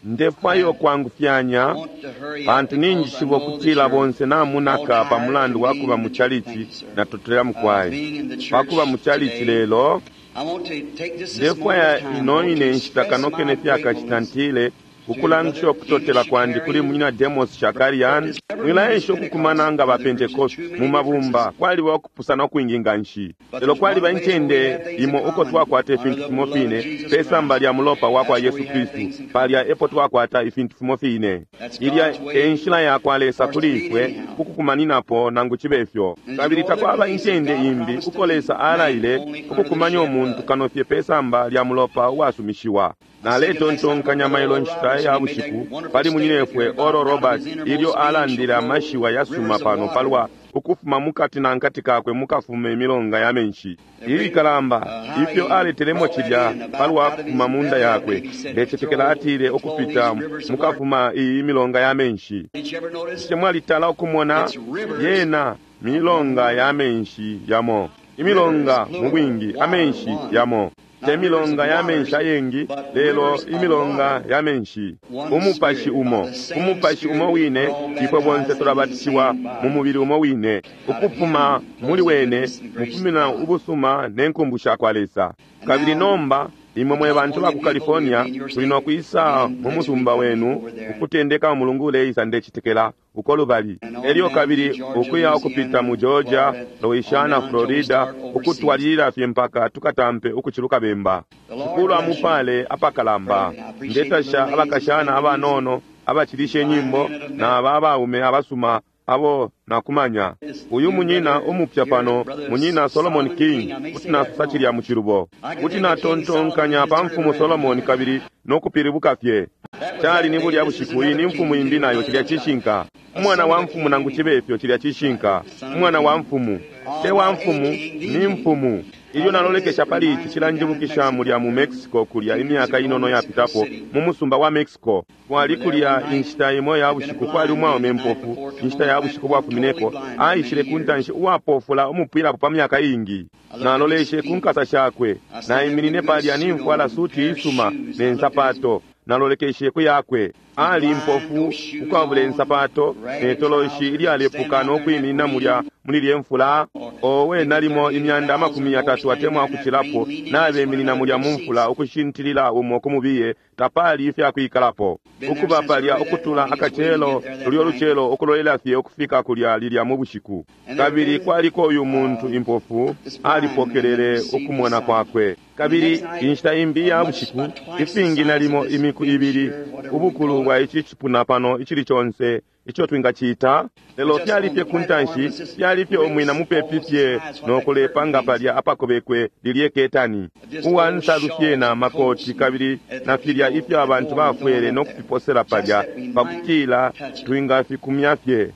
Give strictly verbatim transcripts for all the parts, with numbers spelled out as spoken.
Ndefwayo kwangufyanya pantu ninjishiba ukutila bonse namunaka pa mulandu wa kuba mu chalichi natotela mukwai pakuba mu chalichi lelo. Ndefwaya ino ine nshita kano kene fyakachita ntile ukulangisha ukutotela kwandi kuli munyina Demos Shakarian. Mwilaesha ukukumana nga ba Pentecost mu mabumba, kwaliba ukupusana ukwingi nga nshi, lelo kwaliba incende imo uko twakwata ifintu fimo fine pe samba lya mulopa wa kwa Yesu Kristu. Palya epo twakwata ifintu fimo fine. Ilya e nshila ya kwa Lesa kuli ifwe ukukumaninapo nangu cibe ifyo, kabili takwaba incende imbi uko Lesa alaile ukukumanya umuntu kano fye pe samba lya mulopa uwasumishiwa. Naletontonkanya mailo nshita ya bushiku pali munyinefwe Oral Roberts ilyo alandile amashiwa yasuma pano palwa ukufuma mukati na nkati kakwe mukafuma imilonga ya menshi ilikalamba, ifyo aletelemo cilya palwa kufuma munda yakwe. Ndecetekela atile ukupita mukafuma iyi milonga ya menshi. Bushe mwalitala ukumona yena milonga ya menshi yamo? Imilonga mu bwingi, amenshi yamo, te milonga ya menshi ayengi, lelo imilonga ya menshi. Umupashi umo, umupashi umo wine, ifwe bonse tulabatishiwa mu mubili umo wine. Ukufuma muli wene mufumina ubusuma ne nkumbu sha kwa Lesa. Kabili nomba imwe mwe bantu ba ku California tuli no kwisa mu musumba wenu ukutendeka umulungu uleisa, ndecitekela uko lubali, elyo kabili ukuya ukupita mu Georgia, Louisiana, Florida, ukutwalilila fye mpaka tukatampe ukuciluka bemba. Shikulu amupale apakalamba. Ndetasha abakashana abanono abacilisha inyimbo na aba abaume abasuma abo nakumanya. Uyu munyina umupya pano, munyina Solomon King, kuti nasosa cilya mu cilubo, kuti natontonkanya pa mfumu Solomon kabili nokupilibuka fye. Cali ni bulya bushiku, iyi ni mfumu imbi nayo, cilya cishinka. Umwana wa mfumu nangu cibe ifyo, cilya cishinka. Umwana wa mfumu te wa mfumu, ni mfumu. Ilyo nalolekesha pali ici cilanjibukisha mulya mu Mexico kulya imyaka inono yapitapo mu musumba wa Mexico. Kwali kulya inshita imo ya bushiku, kwali umwaume mpofu inshita ya bushiku bwafumineko, aishile ku ntanshi uwapofula umupwilapo pa myaka iingi. Naloleshe ku nkasa shakwe, naiminine palya nimfwala suti isuma ne nsapato. Nalolekeshe ku yakwe, ali mpofu ukwabula insapato ne toloshi ilyalepuka no kwiminina mulya muli lye mfula. Owe, nalimo imyanda amakumi yatatu atemwa ukucilapo nabeminina mulya mu mfula ukushintilila umo kumubiye, tapali ifyakwikalapo. Ukuba palya ukutula akacelo lulyo lucelo ukulolela fye ukufika kulya lilya mu bushiku. Kabili kwaliko uyu muntu impofu alipokelele ukumona kwakwe. Kabili inshita imbi ya bushiku, ifingi nalimo imiku ibili ubukulu bwa ici cipuna pano icili conse ico twingacita, lelo fyali fye ku ntanshi, fyali fye umwina mupepi fye nokulepa nga palya apakobekwe lilye ketani, uwa nsalu fye na makoti kabili na filya ifyo abantu bafwele no kufiposela palya pakutila twingafikumya fye.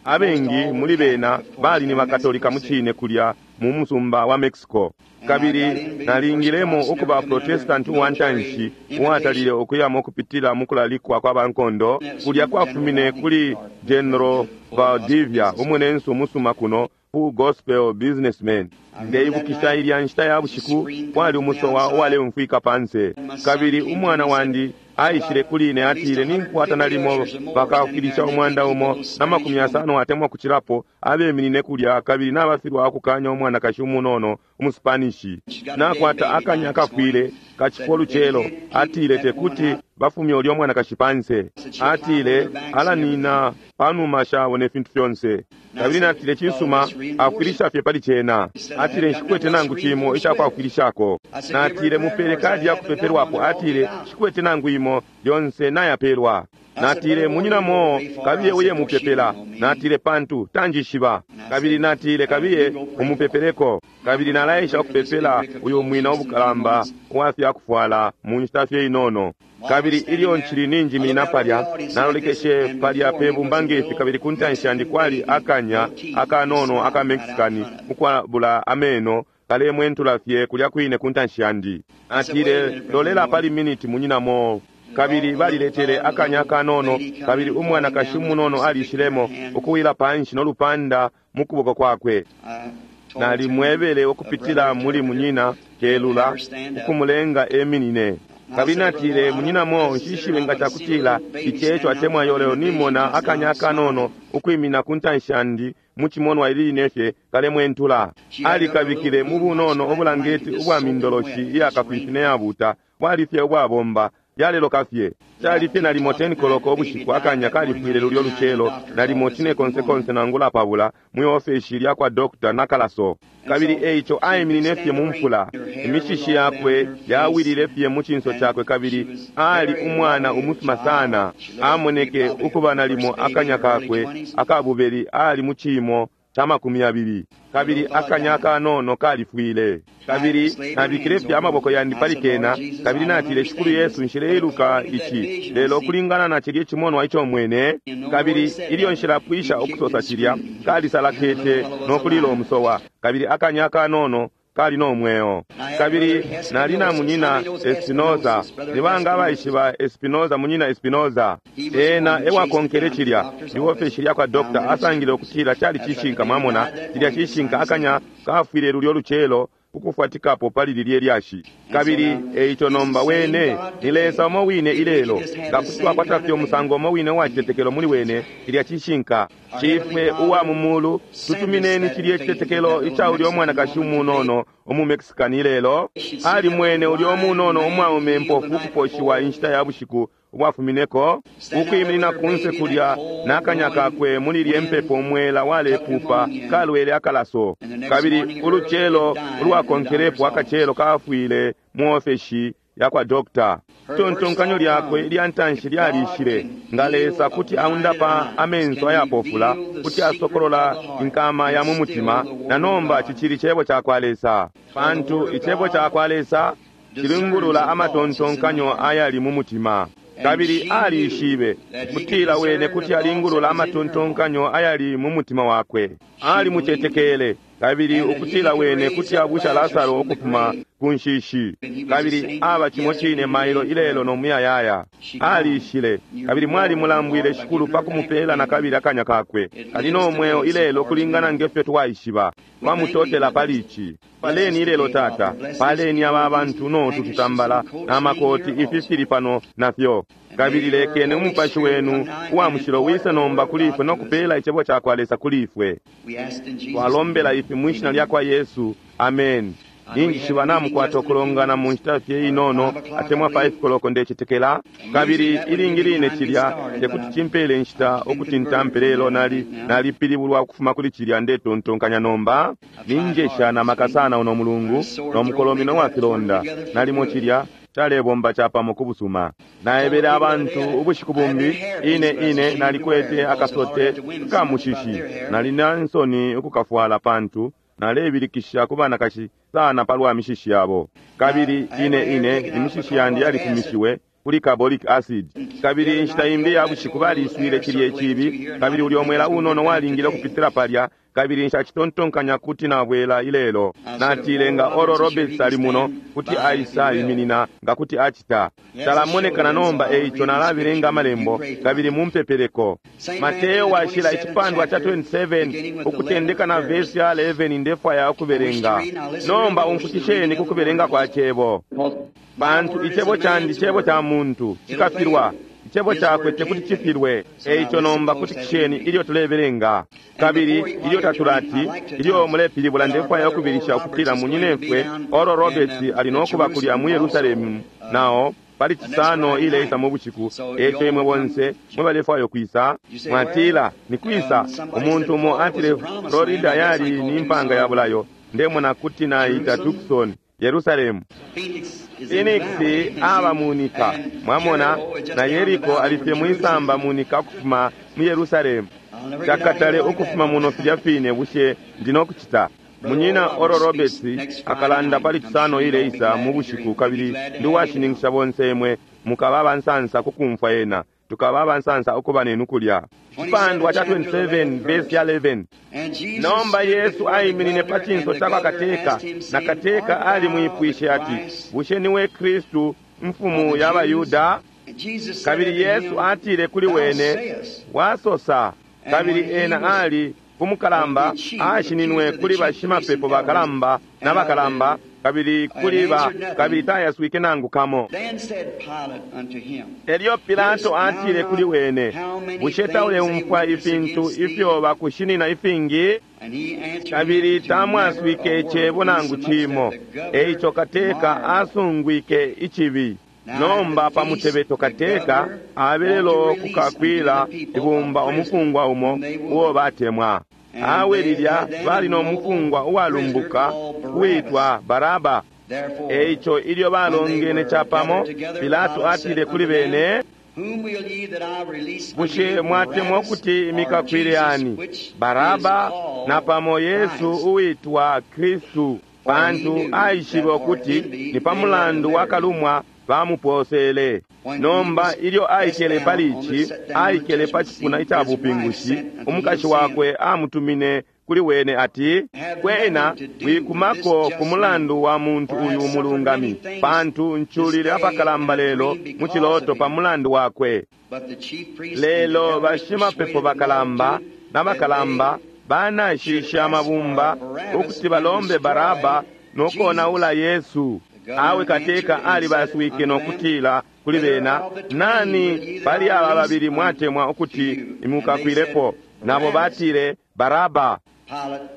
Abengi muli bena bali ni bakatolika mucine kulya mu musumba wa Mexico. Kabili nalingilemo ukuba Protestant uwa ntanshi uwatalile ukuyamo kupitila mu kulalikwa kwa bankondo kulya kwafumine kuli General Valdivia, umunensu umusuma kuno, Full Gospel Businessman. Ndeibukisha ilya nshita ya bushiku kwali umusowa uwaleumfwika panse, kabili umwana wandi aishile kuli ine atile, ninkwata nalimo bakafwilisha umwanda umo na makumi yasano atemwa kucilapo abeminine kulya, kabili nabafilwa ukukanya umwanakashi umunono umuspanishi, nakwata akanya akafwile kacifo lucelo. Atile tekuti bafumye ulya umwanakashi panse, atile alanina panuma shabo ne fintu fyonse. Kabili natile, cisuma, afwilisha fye pali cena. Atile, nshikwete nangu cimo icakwafwilishako. Natile, mupele kadi ya kupepelwapo. Atile, nshikwete nangu imo, yonse nayapelwa. Natile, munyinamo kabiye uye mupepela. Natile, pantu tanjishiba. Kabili natile, kabiye umupepeleko. Kabili nalaesha ukupepela uyu mwina ubukalamba uwafyakufwala mu nshita fye inono. Kabili ilyo nchili ninjiminina palya, nalolekeshe palya pe bumba ngefi, kabili ku ntanshi yandi kwali akanya akanono aka Mexicani ukwabula ameno kalemwentula fye kulya kwine ku ntanshi yandi. Atile, lolela pali miniti munyinamo. Kabili baliletele akanya kanono, kabili umwanakashi umunono alishilemo ukuwila panshi no lupanda mu kuboko kwakwe. Nalimwebele ukupitila muli munyina kelula ukumulenga eminine. Kabili natile, Munyina Mo, nshishibe nga cakutila ici eco atemwa iyo, lelo nimona akanya akanono ukwimina ku ntanshi yandi mu cimonwa ili line fye kalemwentula. Alikabikile mu bunono ubulangeti ubwa mindoloshi iyakafifi ne yabuta, bwali fye ubwabomba, yaleloka fye. Cali fye nalimo ten koloko ubushiku, akanya kalifwile lulyo lucelo nalimo cine konse konse nangula pabula mwi ofeshi lya kwa Doctor Nakalaso. Kabili eico aiminine fye mu mfula, imishishi yakwe yawilile fye mu cinso cakwe, kabili ali umwana umusuma sana. Amoneke ukuba nalimo akanya kakwe akabubeli ali mu ciimo ca makumi yabili, kabili akanya akanono kalifwile. Kabili nabikile fye amaboko yandi pali kena, kabili natile, Shikulu Yesu, nshileiluka ici, lelo kulingana na cilya cimonwa ico mwene. Kabili ilyo nshilapwisha ukusosa cilya, kalisalakete no kulila umusowa, kabili akanya akanono kali no mweo. Kabili nali na munyina Espinoza. Nibanga abaishiba Espinoza? Munyina Espinoza ena ewakonkele cilya iofeshi lya kwa dokta, asangile ukutila cali cishinka. Mwamona, cilya cishinka, akanya kafwile lulyo lucelo ukufwatikapo pali lilye lyashi. Kabili eico nomba wene ni Lesa umo wine ilelo, nga kuti twakwata fye umusango umo wine uwa citetekelo muli wene. Cilya cishinka. Shifwe uwa mu mulu, tutumineni cilye citetekelo ica ulya umwanakashi umunono umu Mexican ilelo. Ali mwene ulya umunono umwaume mpofu ukuposhiwa inshita ya bushiku ubwafumineko, ukwiminina kunse kulya n'akanya kakwe muli lye mpepo, umwela walepupa, kalwele akalaso. Kabili ulucelo ulwakonkelepo akacelo kafwile mu ofeshi ya kwa dokta. Itontonkanyo lyakwe ilya ntanshi lyalishile, nga Lesa kuti aundapa amenso ayapofula, kuti asokolola inkama ya mu mutima, na nomba cicili cebo ca kwa Lesa, pantu icebo ca kwa Lesa cilingulula amatontonkanyo ayali mu mutima. Kabili alishibe kutila wene kuti alingulula amatontonkanyo ayali mu mutima wakwe. Alimucetekele, kabili ukutila wene kuti abusha Lasaro ukufuma ku nshishi, kabili aba cimo cine mailo, ilelo no muyayaya. Alishile, kabili mwalimulambwile, Shikulu, pa kumupela na kabili akanya kakwe. Ali no mweo ilelo kulingana ngefyo twaishiba. Twamutotela pali ici. Paleni ilelo, Tata, paleni aba abantu notu tutambala na makoti ifi fili pano nafyo. Kabili lekeni umupashi wenu uwa mushilo wise nomba kuli ifwe no kupela icebo ca kwa Lesa kuli ifwe. Twalombela ifi mwishina lya kwa Yesu, amen. Ninjishiba namukwata ukulongana mu nshita fye inono, atemwa five koloko ndecetekela. Kabili ilingi line cilya tekuti cimpele inshita ukuti ntampe, lelo nali nalipilibulwa ukufuma kuli cilya ndetontonkanya nomba. Ninjesha na maka sana uno mulungu no mukolomino wa filonda, nalimo cilya calebomba capamo ku busuma. Naebele abantu ubushiku bumbi, ine ine nalikwete akasote kamushishi, nali na nsoni ukukafwala pantu nalebilikisha ku banakashi sana palwa mishishi yabo. Kabili ine ine imishishi yandi yalifumishiwe kuli carbolic acid. Kabili inshita imbi ya bushiku baliswile cilya icibi, kabili ulya omwela unono walingile ukupitila palya, kabili nshacitontonkanya kuti nabwela ilelo. Natile, nga Oral Roberts ali muno, kuti aisa iminina nga kuti acita. Talamonekana nomba, eico nalabelenga amalembo, kabili mumpepeleko. Mateo washila icipandwa ca twenty-seven ukutendeka na vesi ya eleven, ndefwaya ukubelenga. Nomba umfukisheni ku kubelenga kwa cebo, pantu icebo candi cebo ca muntu cikafilwa, icebo cakwe tekuti cifilwe. Eico nomba kutikisheni ilyo tulebelenga. Kabili ilyo tatulati, ilyo mulepilibula, ndefwaya ukubilisha ukutila munyinefwe Oral Roberts ali nokuba kulya mu Yerusalemu nao pali Cisano ileisa mu bushiku. Eco imwe bonse mwe balefwaya ukwisa, mwatila, ni kwisa? Umuntu umo atile Florida yali ni mpanga ya bulayo. Ndemona kuti naita Tucson Yerusalemu. Phoenix aba munika, mwamona, na Yeriko alifye mwisamba munika ukufuma mu Yerusalemu. Chakatale ukufuma muno filya fine. Bushe ndino kuchita? Munyina Oral Roberts akalanda pali Cisano ileisa mu bushiku, kabili ndi washininkisha bonse imwe mukaba abansansa kukumfwa ena, tukaba abansansa ukuba nenu kulya. Icipandwa ca twenty-seven verse ya eleven. Nomba Yesu aiminine pa cinso ca kwa kateka, na kateka alimwipwishe ati, bushe niwe Kristu mfumu ya Bayuda? Kabili Yesu atile kuli wene, wasosa. Kabili ena ali kumukalamba ashininwe kuli bashimapepo bakalamba na bakalamba, Kabili kuli ba kabili tayaswike nangu kamo. Then said Pilate unto him, Elyo Pilato atile kuli wene, bushe tauleumfwa ifintu ifyo bakushinina ifingi? And he answered Kabili him to tamwaswike never a word, icebo nangu insomuch cimo. that the governor Eico kateka marveled. asungwike icibi. Nomba pa mutebeto kateka abelelo kukakwila ibumba umufungwa umo uo batemwa. Awe lilya bali no mufungwa uwalumbuka uwitwa Baraba. Therefore, Eico ilyo balongene capamo, Pilato atile kuli bene, whom will ye that I release unto bushe you, mwatemwa Barabbas ukuti or imikakwile Jesus, ani which Baraba is called napamo Yesu Christ? uwitwa Kristu? Pantu aishibe ukuti ni pa mulandu wa kalumwa bamuposele. Nomba ilyo aikele pali ici, aikele pa cipuna ica bupingushi, umukashi wakwe amutumine kuli wene ati, kwena wikumako ku mulandu wa muntu uyu umulungami, pantu nculile apakalamba lelo mu ciloto pa mulandu wakwe. But the chief priests and the Lelo elders bashimapepo persuaded the bakalamba multitude n'abakalamba that banashishe amabumba ukuti balombe Baraba nokonaula Yesu. Awe kateka alibaswike nokutila kuli bena, nani pali aba babili mwatemwa ukuti imukakwilepo? Nabo batile Baraba. Pilate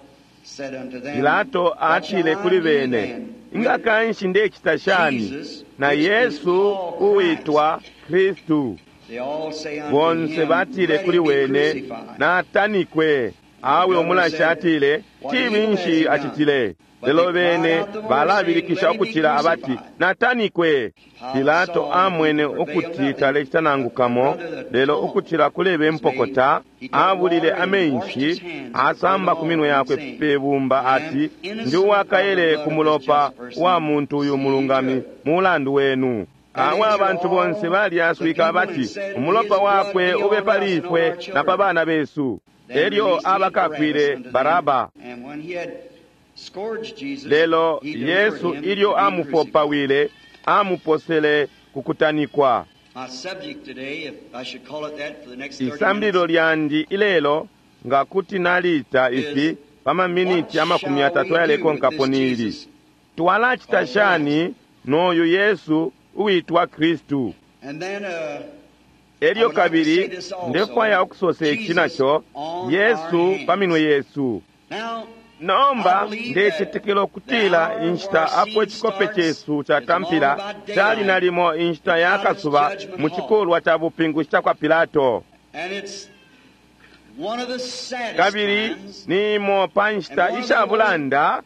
said unto them, Pilato What shall atile I kuli do bene, then inga with kanshi ndecita shani na Yesu uwitwa Kristu? They all say unto Bonse him, batile Let kuli him be wene, crucified. natanikwe. Awe umulashi atile, cibi nshi acitile? Lelo bene balabilikisha ukucila abati, natanikwe. Pilato amwene ukuti talecita nangu kamo, lelo ukucila kulebe mpokota, abulile amenshi, asamba ku minwe yakwe pe bumba ati, ndi uwakaele ku mulopa wa muntu uyu mulungami mulandu wenu. Awe abantu bonse balyaswika abati, umulopa wakwe ube pali ifwe na pa bana besu. Then Elyo released he abakakwile Barabbas unto them. Baraba. And when he had scourged Jesus, Lelo he delivered Yesu him ilyo to be crucified. amufopawile, amuposele ku kutanikwa. My subject today, if I should call it that for the next thirty Isambililo minutes, lyandi ilelo nga kuti naliita ifi pa maminiti what amakumi shall atatu we do with ayalekonkapo this nili. Jesus? Twalacita shani n'oyu Yesu uwitwa Kristu? And then uh, Elyo kabili ndefwaya ukusosa ici naco, Yesu pa minwe yesu. now Nomba ndecetekela ukutila inshita apo icikope cesu catampila cali nalimo inshita ya kasuba mu cikulwa ca bupingushi ca kwa Pilato. and it's one of the saddest Kabili times ni imo pa nshita ishabulanda,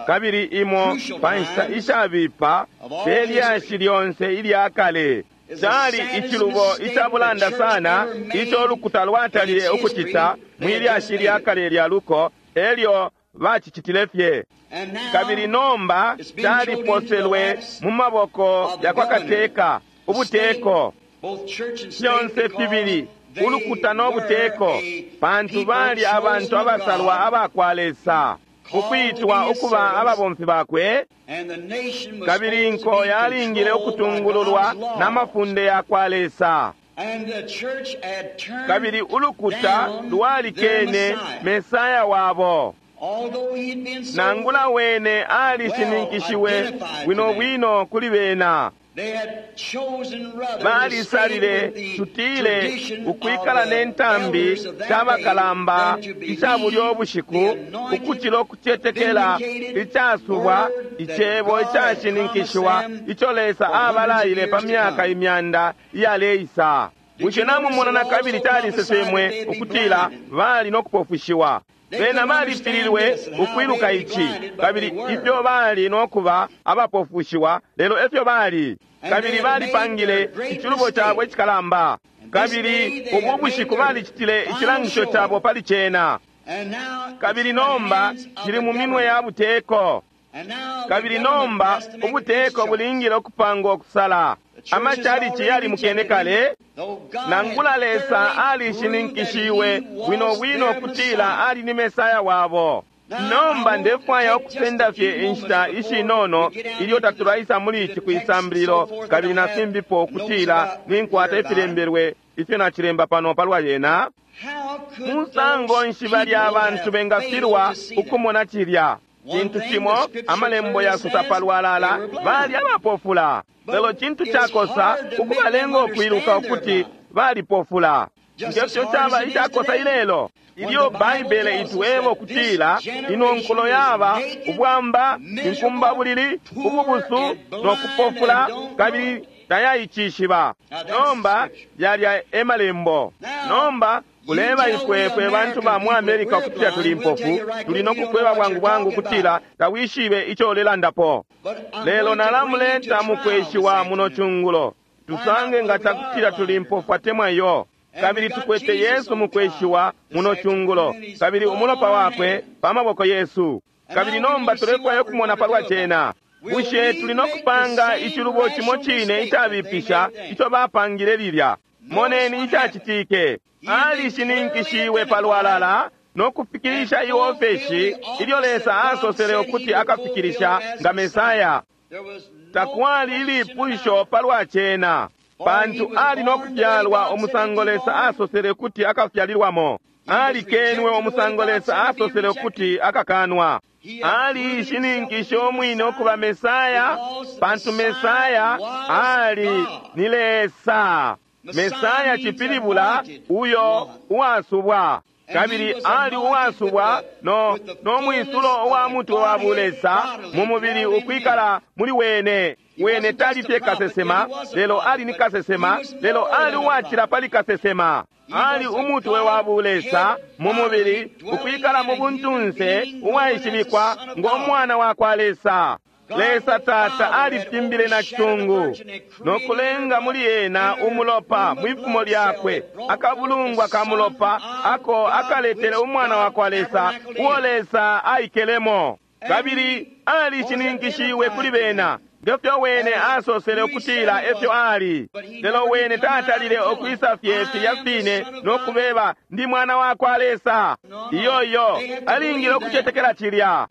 kabili imo pa nshita ishabipa pe lyashi lyonse ilya kale. Cali icilubo icabulanda sana ico ulukuta lwatalile ukucita mwi lyashi lya kale lya luko, elyo bacicitile fye. and now Kabili nomba caliposelwe mu maboko ya kwa kateka, ubuteko, both church and state fyonse because fibili, they ulukuta no buteko, were a pantu people bali abantu chosen of abasalwa God, aba kwa Lesa, ukwitwa ukuba ababomfi bakwe, and the nation was kabili supposed to inko be yalingile controlled by ukutungululwa God's laws. n'amafunde ya kwa Lesa. And the church had turned Kabili ulukuta down their lwalikene Messiah. Mesaya wabo. Although he had been so Nangula wene alishininkishiwe bwino bwino kuli bena. They had chosen rather to stay Balisalile with the tutile tradition ukwikala of the ne ntambi elders of that c'abakalamba day than to believe ica bulyo bushiku the anointed, ukucila ukucetekela vindicated icasubwa word that icebo God had icashininkishiwa promised them ico Lesa for hundreds of abalaile pa years to myaka come. imyanda iyaleisa. Did Bushe you notice namumona it na kabili also calisesemwe prophesied that they'd be ukutila blinded? bali no kupofushiwa. They Bena couldn't understand balifililwe this and how ukwiluka they'd be ici blinded, but kabili they were. ifyo bali no kuba abapofushiwa lelo efyo bali. And Kabili they had made balipangile their great icilubo mistake. cabo icikalamba. And this Kabili day they ubu had made bushiku their balicitile final icilangisho show. cabo pali cena. And now it's Kabili in the nomba hands of cili the mu minwe ya government. buteko. And now the Kabili government nomba has to make its ubuteko choice. bulingile ukupanga okusala. The church has Amachalichi already yali mukene rejected kale. him, though God Nangula had Lesa thoroughly proved that alishininkishiwe he was bwino bwino their kutila Messiah. ali ni Mesaya wabo. Nomba ndefwaya ukusenda fye inshita ishinono ilyo tatulaisa muli ici kwisambililo kabili na fimbipo kutila ninkwata ifilembelwe ifyo nacilemba pano palwa yena. How could Musango those nshi balya people abantu have bengafilwa failed to see that? ukumona cilya? Cintu cimo amalembo yasosa palwalala bali abapofula, lelo cintu cakosa ukubalenga ukwiluka ukuti balipofula. Ngefyo caba icakosa ilelo ilyo Baibele itweba ukutila ino nkulo yaba ubwamba, inkumbabulili, ububusu no kupofula, kabili tayaicishiba. Nomba yalya e malembo. Nomba uleba ifwe fwe bantu ba mu America ukutila tuli impofu, tuli no kukweba bwangu bwangu ukutila tawishibe ico ulelandapo. Lelo nalamuleta mukweshiwa muno cungulo, tusange nga cakutila tuli impofu atemwa iyo. Kabili tukwete Yesu mukweshiwa muno cungulo, kabili umulopa wakwe pa maboko yesu. Kabili nomba tulefwaya ukumona palwa cena. Bushe tuli no kupanga icilubo cimo cine icabipisha ico bapangile lilya? Moneni icacitike. Alishininkishiwe palwalala no kufikilisha iofeshi ilyo Lesa asosele ukuti akafikilisha nga Mesaya. Takwali ilipusho palwa cena, pantu ali no kufyalwa umusango Lesa asosele ukuti akafyalilwamo. Alikenwe umusango Lesa asosele ukuti akakanwa. Alishininkishe umwine ukuba Mesaya, pantu Mesaya ali ni Lesa. Mesaya cipilibula uyo uwasubwa, kabili ali uwasubwa no, no mwisulo uwa mutwe wa bulesa mu mubili ukwikala muli wene. Wene tali fye kasesema, lelo ali ni kasesema, lelo ali uwacila pali kasesema. Ali umutwe wa bulesa mu mubili ukwikala mu buntunse uwaishibikwa ngo mwana wa kwa Lesa. Lesa Tata alifimbile na citungu no kulenga muli ena umulopa mwifumo lyakwe, akabulungwa ka mulopa ako akaletele umwana wa kwa Lesa uo Lesa aikelemo. Kabili alishininkishiwe kuli bena ngefyo wene asosele ukutila efyo ali. Lelo wene tatalile ukwisa fye filya fine no kubeba ndi mwana wa kwa Lesa. Iyo iyo alingile ukucetekela cilya.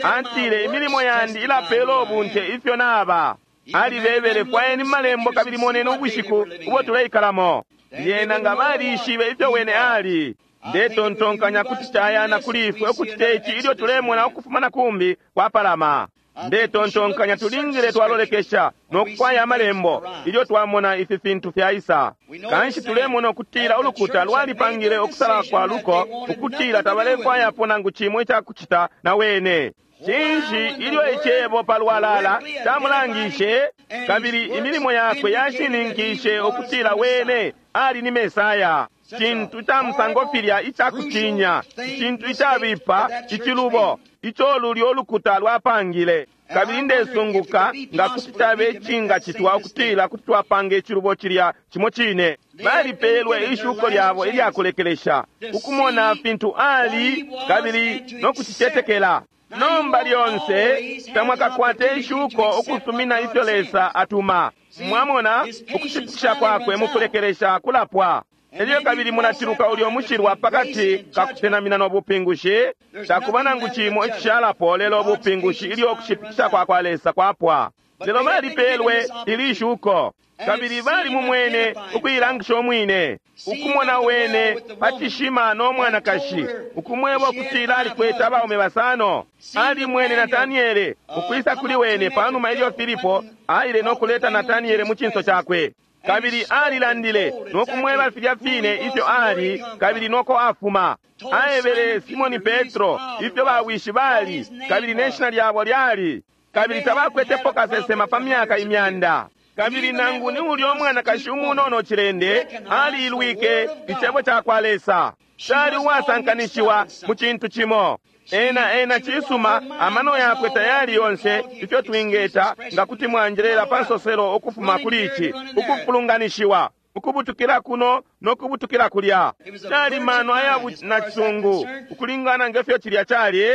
Atile imilimo yandi ilapela ubunte ifyo naba. Alibebele fwayeni malembo kabili moneni ubushiku ubo tuleikalamo. Lyena nga balishibe ifyo wene ali. Ndetontonkanya kuti cayana kuli ifwe ukucita ici ilyo tulemona ukufuma na kumbi kwapalama. Ndetontonkanya tulingile twalolekesha no kufwaya amalembo ilyo twamona ifi fintu fyaisa. Kanshi tulemona ukutila ulukuta lwalipangile ukusala kwa luko ukutila tabalefwayapo nangu cimo icakucita na wene. Cinshi ilyo icebo palwalala camulangishe, kabili imilimo yakwe yashininkishe ukutila wene ali ni Mesaya. Cintu ca musango filya icakutinya, icintu icabipa, icilubo ico lulyo ulukuta lwapangile. Kabili ndesunguka nga kuti cabe icingacitwa ukutila kuti twapanga icilubo cilya cimo cine. Balipelwe ishuko lyabo ilyakulekelesha ukumona fintu ali kabili no kucicetekela. Nomba lyonse tamwakakwate ishuko ukusumina ifyo Lesa atuma. Mwamona ukushipikisha kwakwe mukulekelesha kulapwa. Elyo kabili munaciluka ulyo mushilwa pakati kakusenamina no bupingushi. Takuba nangu cimo icishalapo lelo ubupingushi ilyo ukushipikisha kwa kwa Lesa kwapwa. Lelo balipelwe ili shuko, kabili bali mumwene ukuilangisha umwine, ukumona wene pa cishima no mwanakashi, ukumweba ukutila alikwete abaume basano. Alimwene Nataniele ukwisa kuli wene panuma ilyo Filipo aile no kuleta Nataniele mu cinso cakwe. Kabili alilandile no kumweba filya fine ifyo ali kabili noko afuma. Aebele Simoni Petro ifyo bawishi bali kabili ne shina lyabo lyali, kabili tabakwetepo kasesema pa myaka imyanda. Kabili nangu ni ulyo mwanakashi umunono cilende aliilwike icebo ca kwa Lesa, cali uwasankanishiwa mu cintu cimo. Ena ena cisuma amano yakwe tayali yonse ifyo twingeta nga kuti mwanjelela pa nsoselo ukufuma kuli ici ukufulunganishiwa ukubutukila kuno no kubutukila kulya. Cali mano aya nacisungu ukulingana ngefyo cilya cali.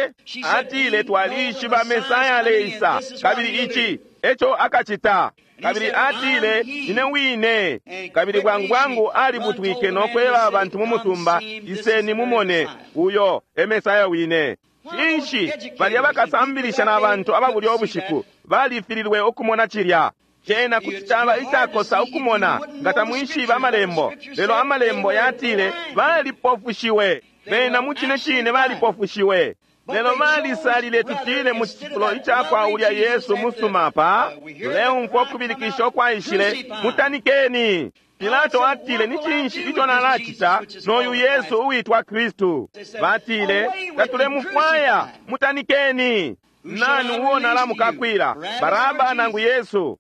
Atile twalishiba Mesaya aleisa, kabili ici eco akacita. Kabili atile ine wine. Kabili bwangu bwangu alibutwike no kweba abantu mu musumba, iseni mumone uyo e Mesaya wine. Cinshi balya bakasambilisha na bantu ababulya ubushiku balifililwe ukumona cilya. Cena kuti caba icakosa ukumona nga tamwishibe amalembo, lelo amalembo yatile balipofushiwe. Bena mu cine cine balipofushiwe. Lelo balisalile tutile mu cifulo icakwa ulya Yesu musuma pa tuleumfwa ukubilikisha ukwaishile, mutanikeni. Pilato atile, ni cinshi ico nalacita noyu Yesu uwitwa Kristu? Batile, tatulemufwaya, mutanikeni. Nani uo nalamukakwila, Baraba nangu Yesu?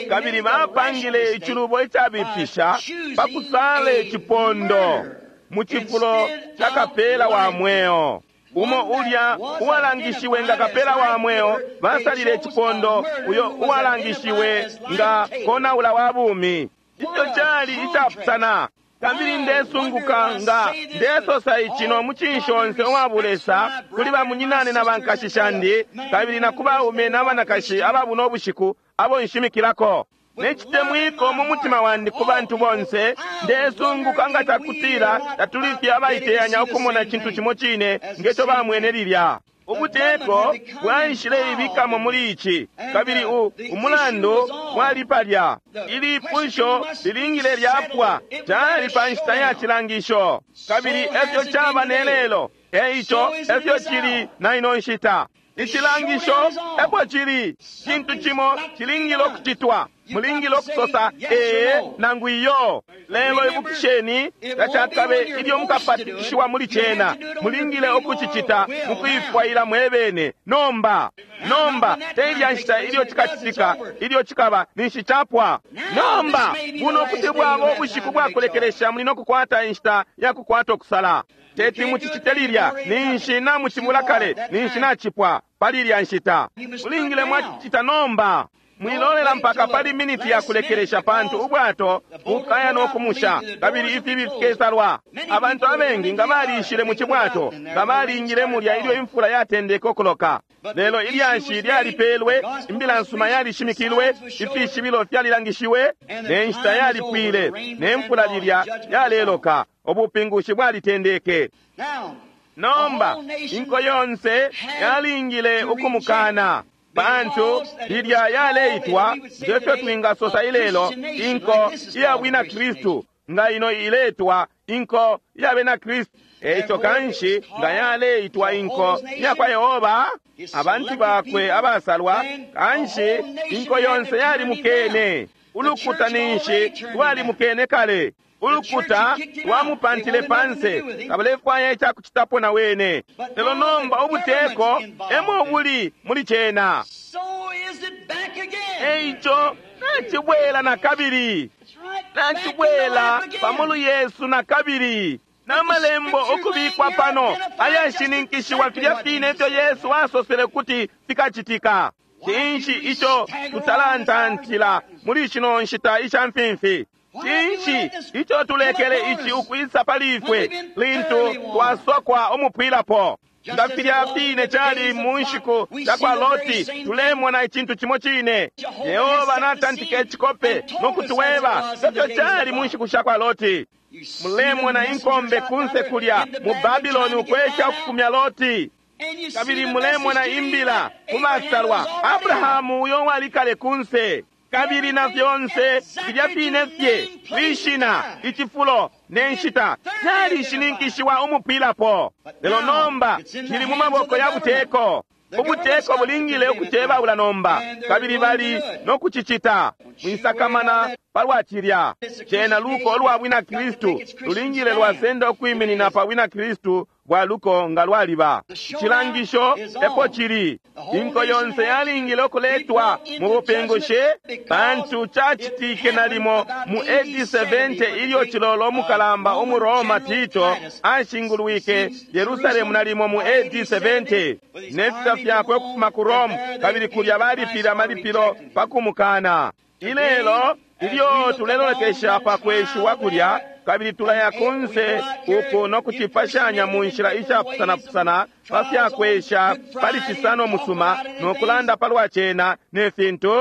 Kabili bapangile icilubo icabipisha pa kusala icipondo mu cifulo ca kapela wa mweo. Umo ulya uwalangishiwe nga kapela wa mweo, basalile icipondo uyo uwalangishiwe nga konaula wa bumi. Ico cali icapusana. Kabili ndesunguka nga ndesosa ici no mucinshi onse uwabulesa kuli bamunyinane na bankashi shandi, kabili na ku baume na banakashi ababuno bushiku abo nshimikilako. Necitemwiko mu mutima wandi ku bantu bonse, ndesunguka nga cakutila tatulifye abaiteyanya ukumona icintu cimo cine ngeco bamwene lilya. Ubuteko bwaishile ibikamo muli ici, kabili u umulandu wali palya. Ilipusho lilingile lyapwa, cali pa nshita ya cilangisho, kabili efyo caba ne lelo, eico efyo cili na ino nshita. Icilangisho epo cili, cintu cimo cilingile ukucitwa. Mulingile ukusosa ee nangu iyo. Lelo ibukisheni, tacakabe ilyo mukapatikishiwa muli cena. Mulingile ukucicita mukuifwaila mwebene. Nomba, nomba te ilya nshita ilyo cikacitika, ilyo cikaba ninshi capwa. Nomba buno kuti bwaba ubushiku bwakulekelesha, muli nokukwata inshita ya kukwata ukusala. Teti mucicite lilya, ninshi namucibula kale, ninshi nacipwa pali ilya nshita. Mulingile mwacicita nomba. Mwilolela mpaka pali miniti ya kulekelesha, pantu ubwato bukaya no kumusha, kabili ifibi fikesalwa. Abantu abengi nga baliishile mu cibwato, nga balingile mulya ilyo imfula yatendeke ukuloka. Lelo ilyashi lyalipelwe, imbila nsuma yalishimikilwe, ifishibilo fyalilangishiwe, ne nshita yalipwile, ne mfula lilya yaleloka, ubupingushi bwalitendeke. Nomba inko yonse yalingile ukumukana, pantu lilya yaleitwa ngefyo twingasosa ilelo inko iya bwina Kristu, nga ino iletwa inko iya bena Kristu. Eico kanshi nga yaleitwa inko iya kwa Yehova, abantu bakwe abasalwa, kanshi inko yonse yalimukene. Ulukuta ninshi lwalimukene kale. Ulukuta lwamupantile panse, tabalefwaya icakucitapo na wene. Lelo nomba ubuteko emo buli muli cena. Eico nacibwela na kabili, nacibwela pamulu Yesu na kabili, n'amalembo ukubikwa pano ayashininkishiwa filya fine ifyo Yesu asosele kuti fikacitika. Cinshi ico tutalantantila muli shino nshita isha mfimfi? Cinshi ico tulekele ici ukwisa pali ifwe lintu twasokwa umupwilapo? Nga filya fine cali mu nshiku sha kwa Loti, tulemona icintu cimo cine. Yehova natantika icikope no kutuweba ngefyo cali mu nshiku sha kwa Loti. Mulemona inkombe kunse kulya mu Babiloni ukwesha ukufumya Loti, kabili mulemona imbila ku basalwa Abrahamu uyo walikale kunse. Kabili na fyonse filya fine fye lishina, icifulo ne nshita fyalishininkishiwa umupwilapo. Lelo nomba cili mu maboko ya buteko. Ubuteko bulingile ukucebaula nomba, kabili bali no kucicita. Mwisakamana palwa cilya. Cena luko ulwa bwina Kristu lulingile lwasenda ukwiminina pa bwina Kristu bwa luko nga lwaliba. Icilangisho epo cili. Inko yonse yalingile ukuletwa mu bupingushi, pantu cacitike nalimo mu A D seventy ilyo cilolo umukalamba umu Roma Tito ashingulwike Yerusalemu nalimo mu A D seventy ne fita fyakwe ukufuma ku Rome, kabili kulya balipile amalipilo pa kumukana. Ilelo ilyo tulelolekesha pa kweshiwa kulya, kabili tulaya kunse uku no kucipashanya mu nshila ishapusanapusana pa fyakwesha pali cisano musuma no kulanda palwa cena ne fintu.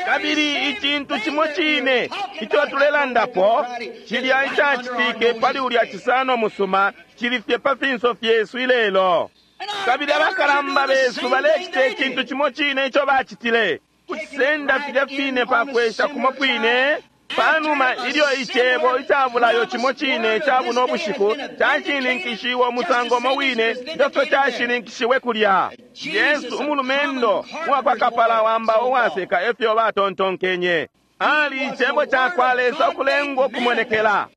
Kabili icintu cimo cine ico tulelandapo cilya icacitike pali ulya cisano musuma cili fye pa finso fyesu ilelo. Kabili abakalamba besu balecita icintu cimo cine ico bacitile, kucisenda filya fine pa kwesha kumo kwine, Panuma ilyo icebo icabulayo cimo cine ca buno bushiku cashininkishiwe umusango umo wine ngefyo cashininkishiwe kulya. Yesu umulumendo uwakwa kapala wamba uwaseka efyo batontonkenye. Ali icebo cakwa Lesa ukulengwa ukumonekela.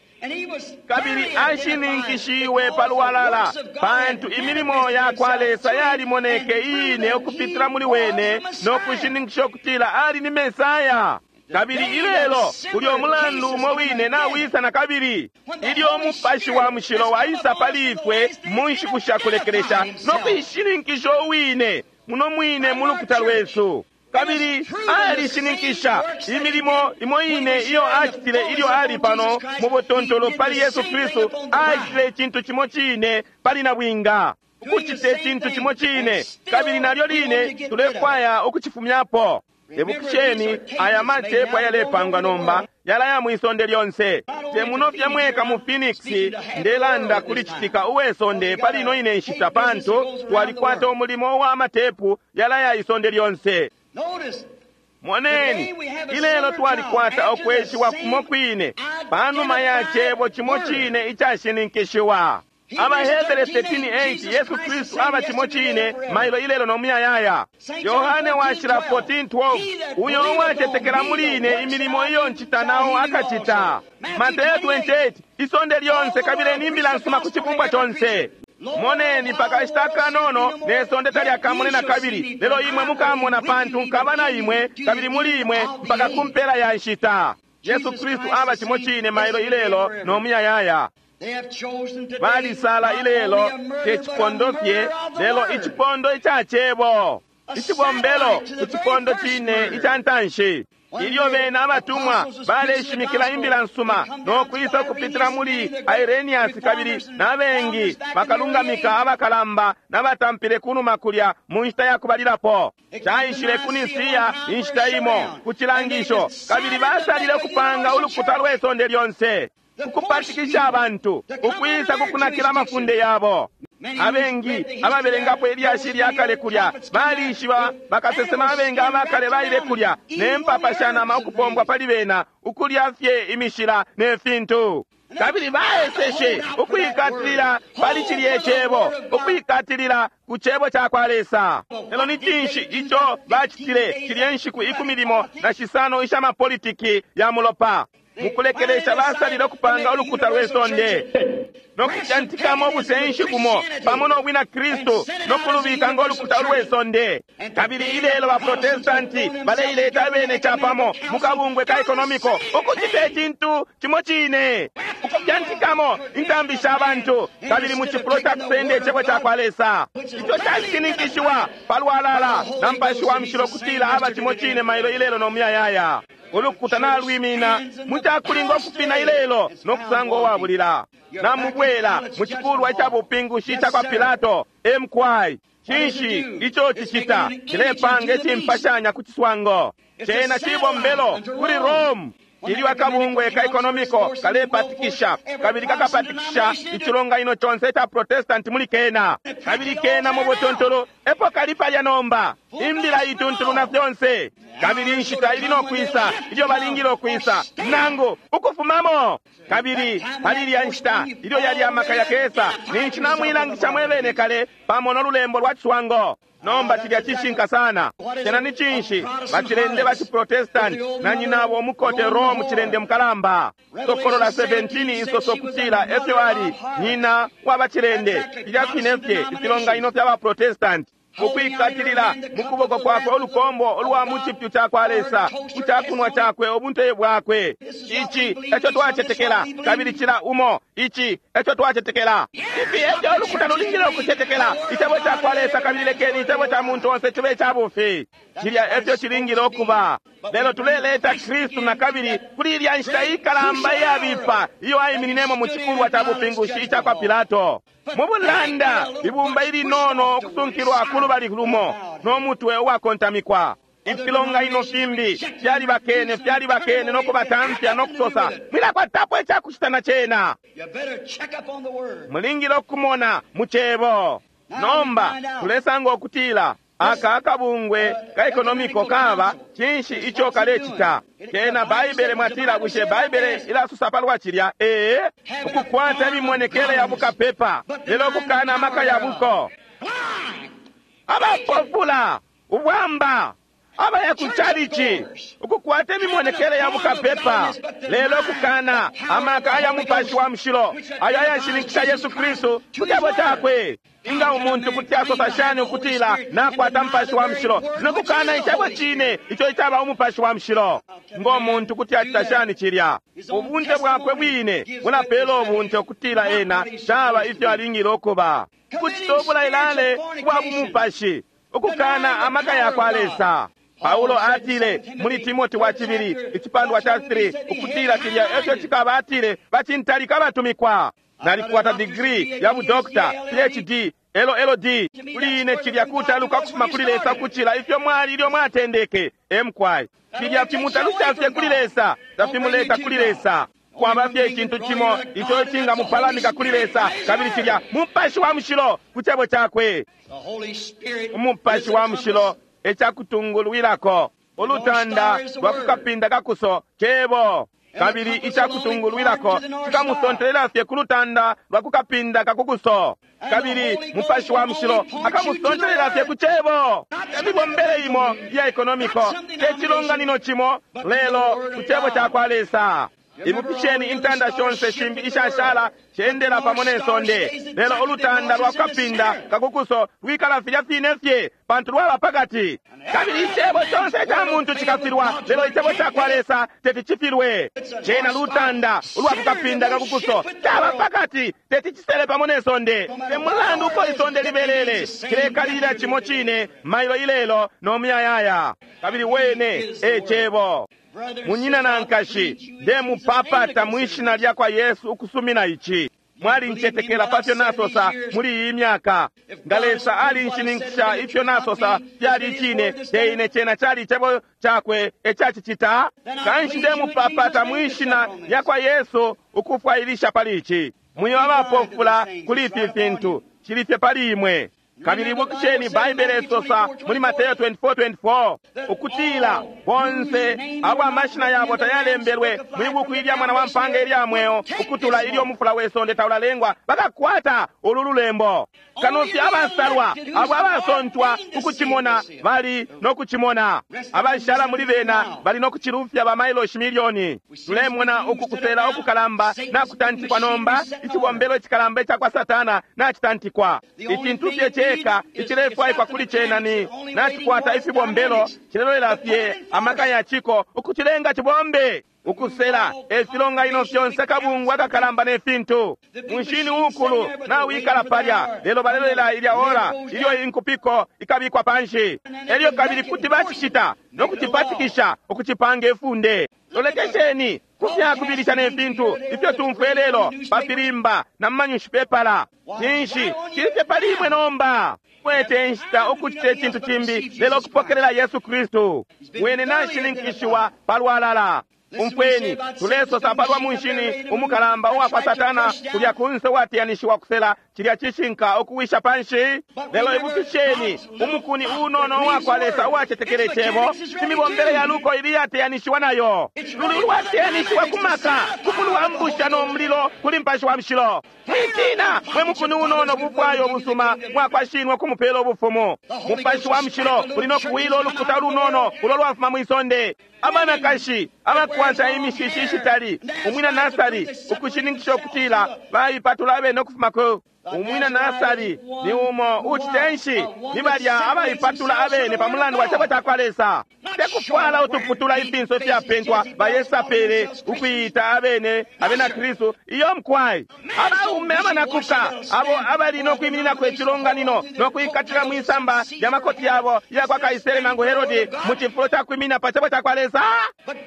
Kabili ashininkishiwe palwalala pantu imilimo yakwa Lesa yalimoneke iine ukupitila muli wene no kushininkisha ukutila ali ni Mesaya. Kabili ilelo kuli umulandu umo wine nawisa na kabili ilyo umupashi wa mushilo waisa pali ifwe mu nshiku sha kulekelesha no kuishininkisha uwine muno mwine mu lukuta lwesu. Kabili alishininkisha imilimo imo ine iyo acitile ilyo ali pano mu butontolo pali Yesu Kristu. Acitile icintu cimo cine pali nabwinga, ukucita icintu cimo cine, kabili nalyo line tulefwaya ukucifumyapo. Ibukisheni aya matepu ayalepangwa nomba yalaya mwisonde lyonse. Te muno fye mweka mu Phoenix ndelanda kuli citika uwesonde pali ino ine nshita, pantu twalikwata umulimo wa matepu yalaya isonde lyonse. Moneni, ilelo twalikwata ukweshiwa kumo kwine panuma ya cebo cimo cine icashininkishiwa. AbaHebere thirteen eight, Yesu Kristu aba cimo cine mailo ilelo no muyayaya. Yohane washila fourteen twelve, uyo uwacetekela muli ine imilimo iyo ncita nao akacita. Mateo twenty eight, isonde lyonse kabili nimbila nsuma ku cibumbwa conse. Moneni pakashita kanono ne sonde talyakamone na kabili, lelo imwe mukamona pantu nkaba na imwe kabili muli imwe mpaka kumpela ya nshita. Yesu Kristu aba cimo cine mailo ilelo no muyayaya. Balisala ilelo te cipondo fye, lelo icipondo ica cebo, icibombelo ku cipondo cine ica ntanshi. Ilyo bena abatumwa baleshimikila imbila nsuma no kwisa kupitila muli Irenias kabili nabengi bakalungamika abakalamba nabatampile kunuma kulya mu nshita ya kubalilapo. Caishile ku Nisiya inshita imo ku cilangisho, kabili basalile kupanga ulukuta lwe sonde lyonse, ukupatikisha abantu ukwisa kukunakila amafunde yabo. Abengi ababelengapo ilyashi lya kale kulya balishiba bakasesema abengi abakale baile kulya ne mpapa sha nama ukupombwa pali bena, ukulya fye imishila ne fintu. Kabili baeseshe ukwikatilila pali cilye cebo, ukwikatilila ku cebo ca kwa Lesa. Lelo ni cinshi ico bacitile cilye nshiku ikumi limo na shisano isha mapolitiki ya mulopa? Mukulekelesha basalile ukupanga ulukuta lwe sonde no kujantikamo ubusenshi bumo pamo no bwina Kristu no kulubika ngo lukuta lwe sonde. Kabili ilelo ba Protestanti baleileta abene capamo mu kabungwe ka ekonomiko ukucita icintu cimo cine, ukujantikamo intambi sha bantu, kabili mu cifulo ca kusenda icebo ca kwa Lesa ico cashininkishiwa palwalala na Mupashi wa Mushilo kutila aba cimo cine mailo ilelo no muyayaya. Ulukuta nalwimina mucakulinga ukupina ilelo no kusanga uwabulila. Namubwela mu cikulwa ica bupingushi ica kwa Pilato M K Cinshi ico cicita? Cilepanga icimpashanya ku ciswango cena cibombelo kuli Rome. Ilyo akabungwe ka ekonomiko kalepatikisha kabili kakapatikisha icilonganino conse ica Protestanti muli kena, kabili kena mu butuntulu epo kali palya nomba, imbila ituntulu na fyonse. Kabili inshita ili no kwisa ilyo balingile ukwisa nangu ukufumamo. Kabili pali ilya nshita ilyo yali amaka yakesa, ninshi namwilangisha mwebene kale pamo no lulembo lwa ciswango. Nomba cilya cishinka sana. Cena ni cinshi? Bacilende ba ciprotestanti na nyinabo umukote Rome, cilende mukalamba. Sokolola seventeen isoso kutila efyo ali nyina wa bacilende, filya fine fye ifilonganino fya baprotestanti, ukwikatilila mu kuboko kwakwe ulukombo ulwa mu cipyu ca kwa Lesa, ku cakunwa cakwe ubunteye bwakwe. Ici eco twacetekela, kabili cila umo ici eco twacetekela. Ifi efyo ulukuta lulingile ukucetekela icebo ca kwa Lesa, kabili lekeni icebo ca muntu onse cibe ca bufi. Cilya efyo cilingile ukuba. Lelo tuleleta Kristu na kabili kuli ilya nshita ikalamba iyabipa iyo aimininemo mu cikulwa ca bupingushi ica kwa Pilato. Mu bulanda ibumba ilinono ukusunkilwa ku lubali lumo no mutwe uwakontamikwa. Ifilonganino fimbi fyalibakene, fyalibakene no kubatamfya no kusosa, mwilakwatapo icakucita na cena. Mulingile ukumona mu cebo. Nomba tulesanga ukutila Aka akabungwe ka ekonomiko kaba cinshi ico kalecita? Kena Baibele mwatila, bushe Baibele ilasusa palwa cilya? Ee, ukukwata imimonekele ya bukapepa, lelo ukukana amaka ya buko. Abapofula, ubwamba, abaya ku chalichi, ukukwata imimonekele ya bukapepa, lelo ukukana amaka aya Mupashi wa Mushilo ayo ayashininkisha Yesu Kristu ku cebo cakwe. Inga umuntu kuti asosa shani ukutila nakwata Mupashi wa Mushilo nokukana icebo cine ico icaba Umupashi wa Mushilo? Ngo muntu kuti acita shani cilya? Ubunte bwakwe bwine bulapela ubunte ukutila ena caba ifyo alingile ukuba. Kucita ubulailale bwa bumupashi, ukukana amaka ya kwa Lesa. Paulo atile muli Timoti wa cibili icipandwa ca three ukutila cilya efyo cikaba, atile bacintalika batumikwa. Nalikwata degree ya budokta P H D L L D. Kuli ine cilya kutaluka kufuma kuli Lesa kucila ifyo mwali ilyo mwatendeke. Emkwai cilya fimutalusha fye kuli Lesa, tafimuleta kuli Lesa. Kwaba fye icintu cimo ico icingamupalamika kuli Lesa, kabili cilya Mupashi wa Mushilo ku cebo cakwe. Umupashi wa Mushilo ecakutungulwilako ulutanda lwa kukapinda kakuso cebo, kabili icakutungulwilako cikamusontelela fye ku lutanda lwa kukapinda kakukuso, kabili Mupashi wa Mushilo akamusontelela fye ku cebo. Emibombele imo ya ekonomiko te cilonganino cimo, lelo ku cebo ca kwa Lesa. Ibukisheni intanda shonse shimbi ishashala shendela pamo ne sonde, lelo ulutanda lwa kukapinda kakukuso lwikala filya fine fye pantu lwaba pakati. Kabili icebo conse ca muntu cikafilwa, lelo icebo ca kwa Lesa teti cifilwe. Cena lutanda ulwa kukapinda kakukuso caba pakati, teti cisele pamo ne sonde. Te mulandu uko isonde libelele, cilekalilila cimo cine mailo ilelo no muyayaya. Kabili wene e cebo. Munyina na nkashi, ndemupapata mwishina lya kwa Yesu ukusumina ici. Mwalincetekela pafyo nasosa muli iyi myaka. Nga Lesa alinshininkisha ifyo nasosa fyali icine, te ine cena cali icebo cakwe ecacicita. Kanshi ndemupapata mwishina lya kwa Yesu ukufwailisha pali ici. Mwiba abapofula kuli ifi fintu, cili fye pali imwe. Kabili ibukisheni Baibele isosa muli Mateo twenty-four twenty-four ukutila bonse abo amashina yabo tayalembelwe mwi buku ilya mwana wa mpanga ilya mweo ukutula ilyo umufula we sonde taulalengwa bakakwata ulu lulembo. Kano fye abasalwa abo abasontwa ukucimona bali no kucimona, abashala muli bena bali no kucilufya ba mailoshi milioni. Tulemona uku kusela ukukalamba nakutantikwa nomba, icibombelo icikalamba ica kwa Satana nacitantikwa. Icintu fye ceka icilefwaikwa kuli cena ni nacikwata ifibombelo cilelolela fye amaka ya ciko ukucilenga cibombe. Ukusela efilonganino fyonse kabungwe akakalamba ne fintu. Munshini ukulu nawikala palya, lelo balelolela ilya ora ilyo inkupiko ikabikwa panshi. Elyo kabili kuti bacicita no kucipatikisha ukucipanga ifunde. Lolekesheni kufyakubilisha ne fintu ifyo tumfwe lelo pafilimba na mumanyushipepala. Cinshi cili fye pali imwe nomba? Kwete nshita ukucita icintu cimbi lelo ukupokelela Yesu Kristu. Wene nashininkishiwa palwalala. Umfweni, tulesosa palwa munshini umukalamba uwa kwa Satana kulya kunse uwatiyanishiwa kusela cilya cishinka ukuwisha panshi. Lelo ibukisheni umukuni unono uwa kwa Lesa uwacetekele icebo, imibombele ya luko ili yatiyanishiwa nayo. Luli ulwatiyanishiwa ku maka, ku no mulilo kuli Mupashi wa Mushilo. Mwitina mwe mukuni unono bufwayo busuma mwakwashinwa kumupela ubufumu. Mupashi wa Mushilo uli no kuwila ulukuta lunono ulo lwafuma mwisonde. Abanakashi abakwata imishishi ishitali umwina Nasari ukushininkisha ukutila baipatula abene ukufuma ku umwina Nasari ni umo ucitenshi ni balya abaipatula abene pa mulandu wa cebo ca kwa Lesa. Tekufwala utuputula ifinso ifyapentwa bayesapele ukuita abene abena Kristu iyo mkwai. Abaume abanakuka abo abali no kwimininako icilonganino no kuikatila mwisamba lya makoti yabo ya kwa Kaisere nangu Herodi mu cifulo ca kwiminina pa cebo ca kwa Lesa.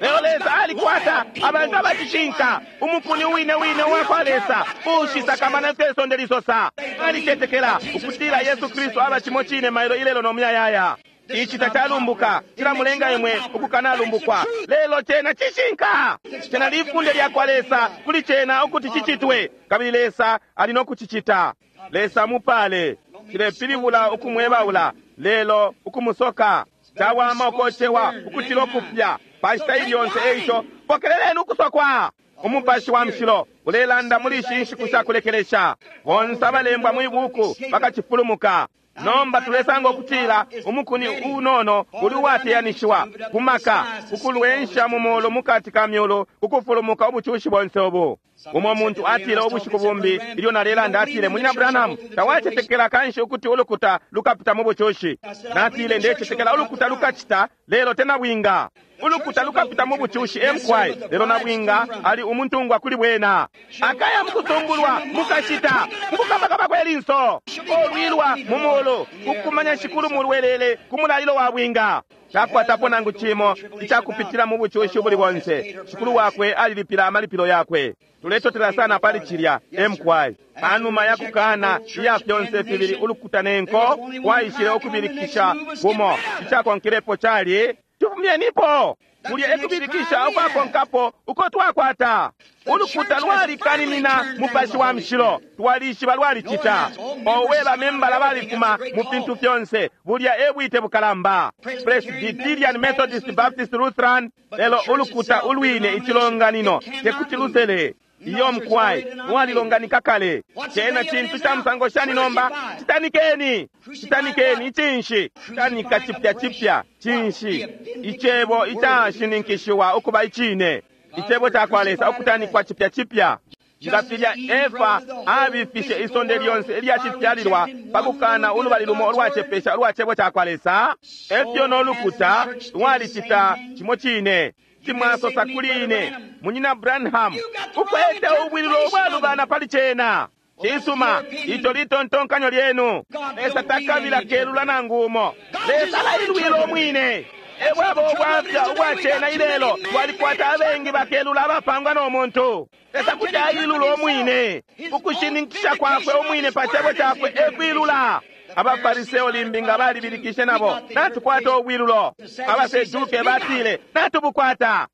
Lelo Lesa alikwata abantu abacishinka umukuni wine wine wa kwa Lesa ushisakamana ifyo isonde lisosa. Alicetekela ukutila Yesu Kristu aba cimo cine mailo ilelo no muyayaya. Ici tacalumbuka cilamulenga imwe ukukanalumbukwa, lelo cena cishinka. Cena lifunde lya kwa Lesa kuli cena ukuti cicitwe, kabili Lesa ali no kucicita. Lesa mupale. Cilepilibula ukumwebaula, lelo ukumusoka. Cawama ukocewa ukucila ukupya pa nshita ili yonse. Eico pokeleleni ukusokwa. Umupashi wa Mushilo ulelanda muli ishi nshiku shakulekelesha. Bonse abalembwa mwi buku bakacifulumuka. Nomba tulesanga ukutila umukuni unono uli uwateyanishiwa ku maka ukulwensha mu mulu mukati ka myulu ukufulumuka ubucushi bonse ubu. Umo muntu atile ubushiku bumbi ilyo nalelanda, atile, Munyina Branham, tawacetekela kanshi ukuti ulukuta lukapita mu bucushi? Natile, ndecetekela ulukuta lukacita, lelo tena bwinga. Ulukuta lukapita mu bucushi emkwai, lelo nabwinga ali umuntungwa kuli bwena. Akaya mukusumbulwa mukashita mukukabakaba kwelinso olwilwa mu mulu kukumanya shikulu mulwelele ku mulalilo wa bwinga. Takwatapo nangu cimo icakupitila mu bucushi ubuli bonse. Shikulu wakwe alilipila amalipilo yakwe. Tuletotela sana pali cilya emkwai. Panuma ya kukana iya fyonse fibili ulukuta nenko kwaishile ukubilikisha kumo. Icakonkerepo cali tufumyenipo. Kulya ekubilikisha ukwakonkapo uko twakwata. Ulukuta lwalikaninina Mupashi wa Mushilo, twalishiba lwalicita. Owe, bamembala balifuma mu fintu fyonse, bulya ebwite bukalamba. Presbyterian, Methodist, Baptist, Lutheran, lelo ulukuta ulwine icilonganino tekuti lusele. Iyo mkwai lwalilonganika kale. Cena cintu ca musango shani nomba? Citanikeni, citanikeni icinshi? Citanika cipya cipya cinshi? Icebo icashininkishiwa ukuba icine, icebo ca kwa Lesa ukutanikwa cipya cipya. Nga filya Efa abifishe isonde lyonse ilyacifyalilwa pa kukana ulubali lumo ulwacepesha ulwa cebo ca kwa Lesa, efyo no lukuta lwalicita cimo cine. Timwasosa kuli ine, Munyina Branham, ukwete ubwililo ubwalubana pali cena. Cisuma, ico litontonkanyo lyenu. Lesa takabila kelula nangu umo. Lesa alailwila umwine. Ebwabo ubwafya ubwa cena ilelo, twalikwata abengi bakelula abapangwa no muntu. Lesa kuti ailula umwine. Ukushininkisha kwakwe umwine pa cebo cakwe ekwilula. Abafariseo limbi nga balibilikishe nabo, natukwata ubwilulo. Abaseduke batile, natubukwata.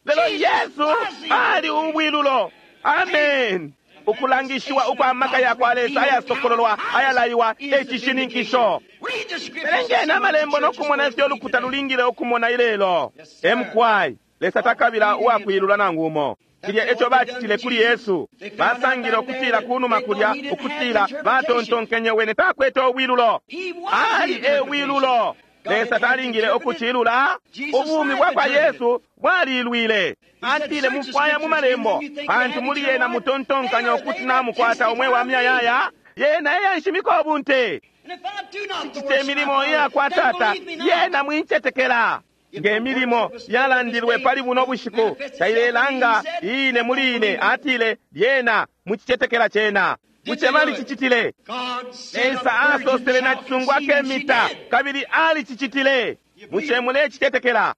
Lelo Yesu ali ubwilulo. Amen. Ukulangishiwa ukwa maka ya kwa Lesa ayasokololwa ayalaiwa ecishininkisho. Belengeni amalembo no kumona ifyo ulukuta lulingile ukumona ilelo. Emkwai, Lesa takabila uwakwilula nangu umo. Cilya eco bacitile kuli Yesu. Basangile ukutila kunuma kulya ukutila batontonkenye wene takwete ubwilulo. Ali ebwilulo. Lesa talingile ukucilula. Ubumi bwa kwa Yesu bwalilwile. Atile mufwaya mu malembo, pantu muli yena mutontonkanya ukuti namukwata umwe wa myayaya. Yena eyanshimika ubunte. Cite milimo iyakwa Tata, yena mwincetekela. Nge milimo yalandilwe pali buno bushiku tailelanga ine muli ine, atile lyena mucicetekela cena. Buce balicicitile. Lesa asosele na cisungu akemita kabili alicicitile. Buce mulecicetekela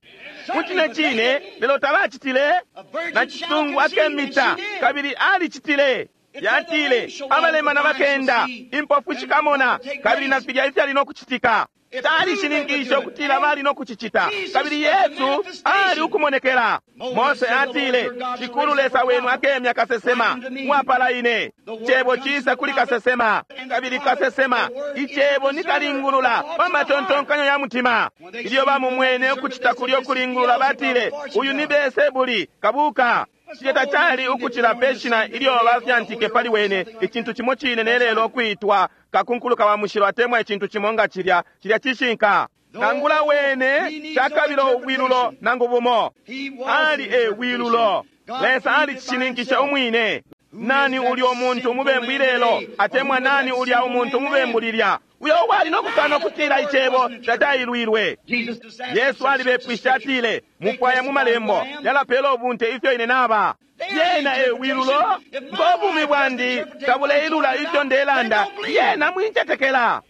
mucine cine, lelo tabacitile. Na cisungu akemita kabili alicitile. Yatile abalemana bakenda, impofu shikamona, kabili na filya ifyali no kucitika. Talishininkishe ukutila bali no kucicita, kabili Yesu ali ukumonekela. Mose atile, Shikulu Lesa wenu akemya kasesema mwapala ine. Cebo cisa kuli kasesema, kabili kasesema icebo nikalingulula pa matontonkanyo ya mutima. Ilyo bamumwene ukucita kulyo kulingulula, batile uyu ni Beelsebuli kabuka. Cilya tacali ukucila pe shina ilyo bafyantike pali wene, icintu cimo cine nelelo kwitwa kakunkuluka wa mushilo atemwa icintu cimo nga cilya. Cilya cishinka. Nangula wene takabila ubwilulo nangu bumo. Ali e bwilulo. Lesa alicishininkisha umwine. Nani ulya umuntu umubembu ilelo, atemwa nani ulya umuntu umubembu lilya, uyo wali no kukana ukutila icebo tatailwilwe. Yesu alibepwishe atile, mufwaya mu malembo yalapela ubunte ifyo ine naba. Yena e bwilulo. Ngo bumi bwandi tabuleilula ifyo ndelanda, yena mwincetekela.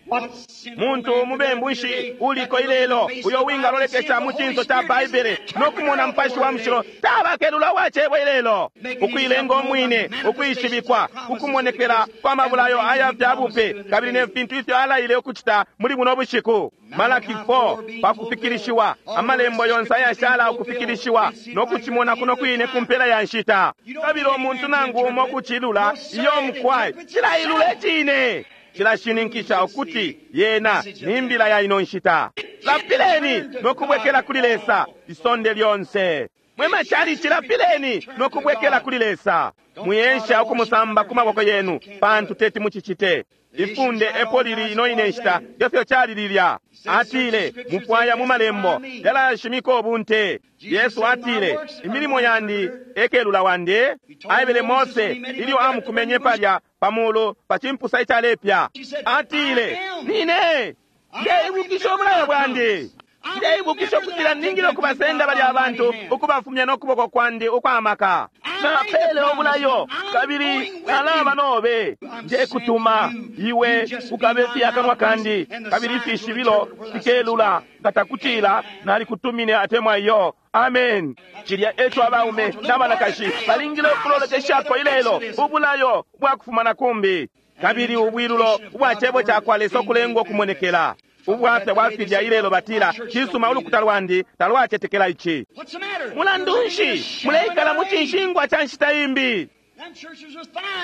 Muntu umubembu nshi uliko ilelo uyo wingalolekesha mu cinso ca Baibele no kumona Mupashi wa Mushilo tabakelula wa cebo ilelo? Ukuilenga umwine ukwishibikwa ukumonekela kwa mabulayo aya fya bupe kabili ne fintu ifyo alaile ukucita muli buno bushiku. Malaki four pakufikilishiwa, amalembo yonse ayashala ukufikilishiwa no kucimona kuno kwine ku mpela ya nshita. Kabili umuntu nangu umo kucilula iyo mukwai cilailula icine. Cilashininkisha ukuti yena ni mbila ya ino nshita. Lapileni no kubwekela kuli Lesa isonde lyonse. Mwe machalichi, lapileni no kubwekela kuli Lesa. Mwiensha ukumusamba ku maboko yenu, pantu teti mucicite. Ifunde epo lili ino ine nshita ngefyo cali lilya. Atile mufwaya mu malembo yalashimika ubunte. Yesu atile imilimo yandi ekelula wandi. Aebele Mose ilyo amukumenye palya pamulu pa chimpusa icalepya. Atile nine ndeibukisha ubulayo bwandi, ndeibukisha ukutila ningile ukubasenda balya abantu ukubafumya n'okuboko kwandi ukwamaka. Napele obulayo kabili nalaba nobe. Ndekutuma iwe ukabe fye akanwa kandi, kabili ifishibilo fikelula nga takutila nalikutumine atemwa iyo. Amen. Cilya eco abaume n'abanakashi balingile ukulolekeshako ilelo, ubulayo bwakufuma na kumbi, kabili ubwilulo ubwa cebo cakwa Lesa ukulengwa ukumonekela. Ubwafya bwafilya ilelo batila cisuma ulukuta lwandi talwacetekela ici. Mulandu nshi muleikala mu cinshingwa ca nshita imbi?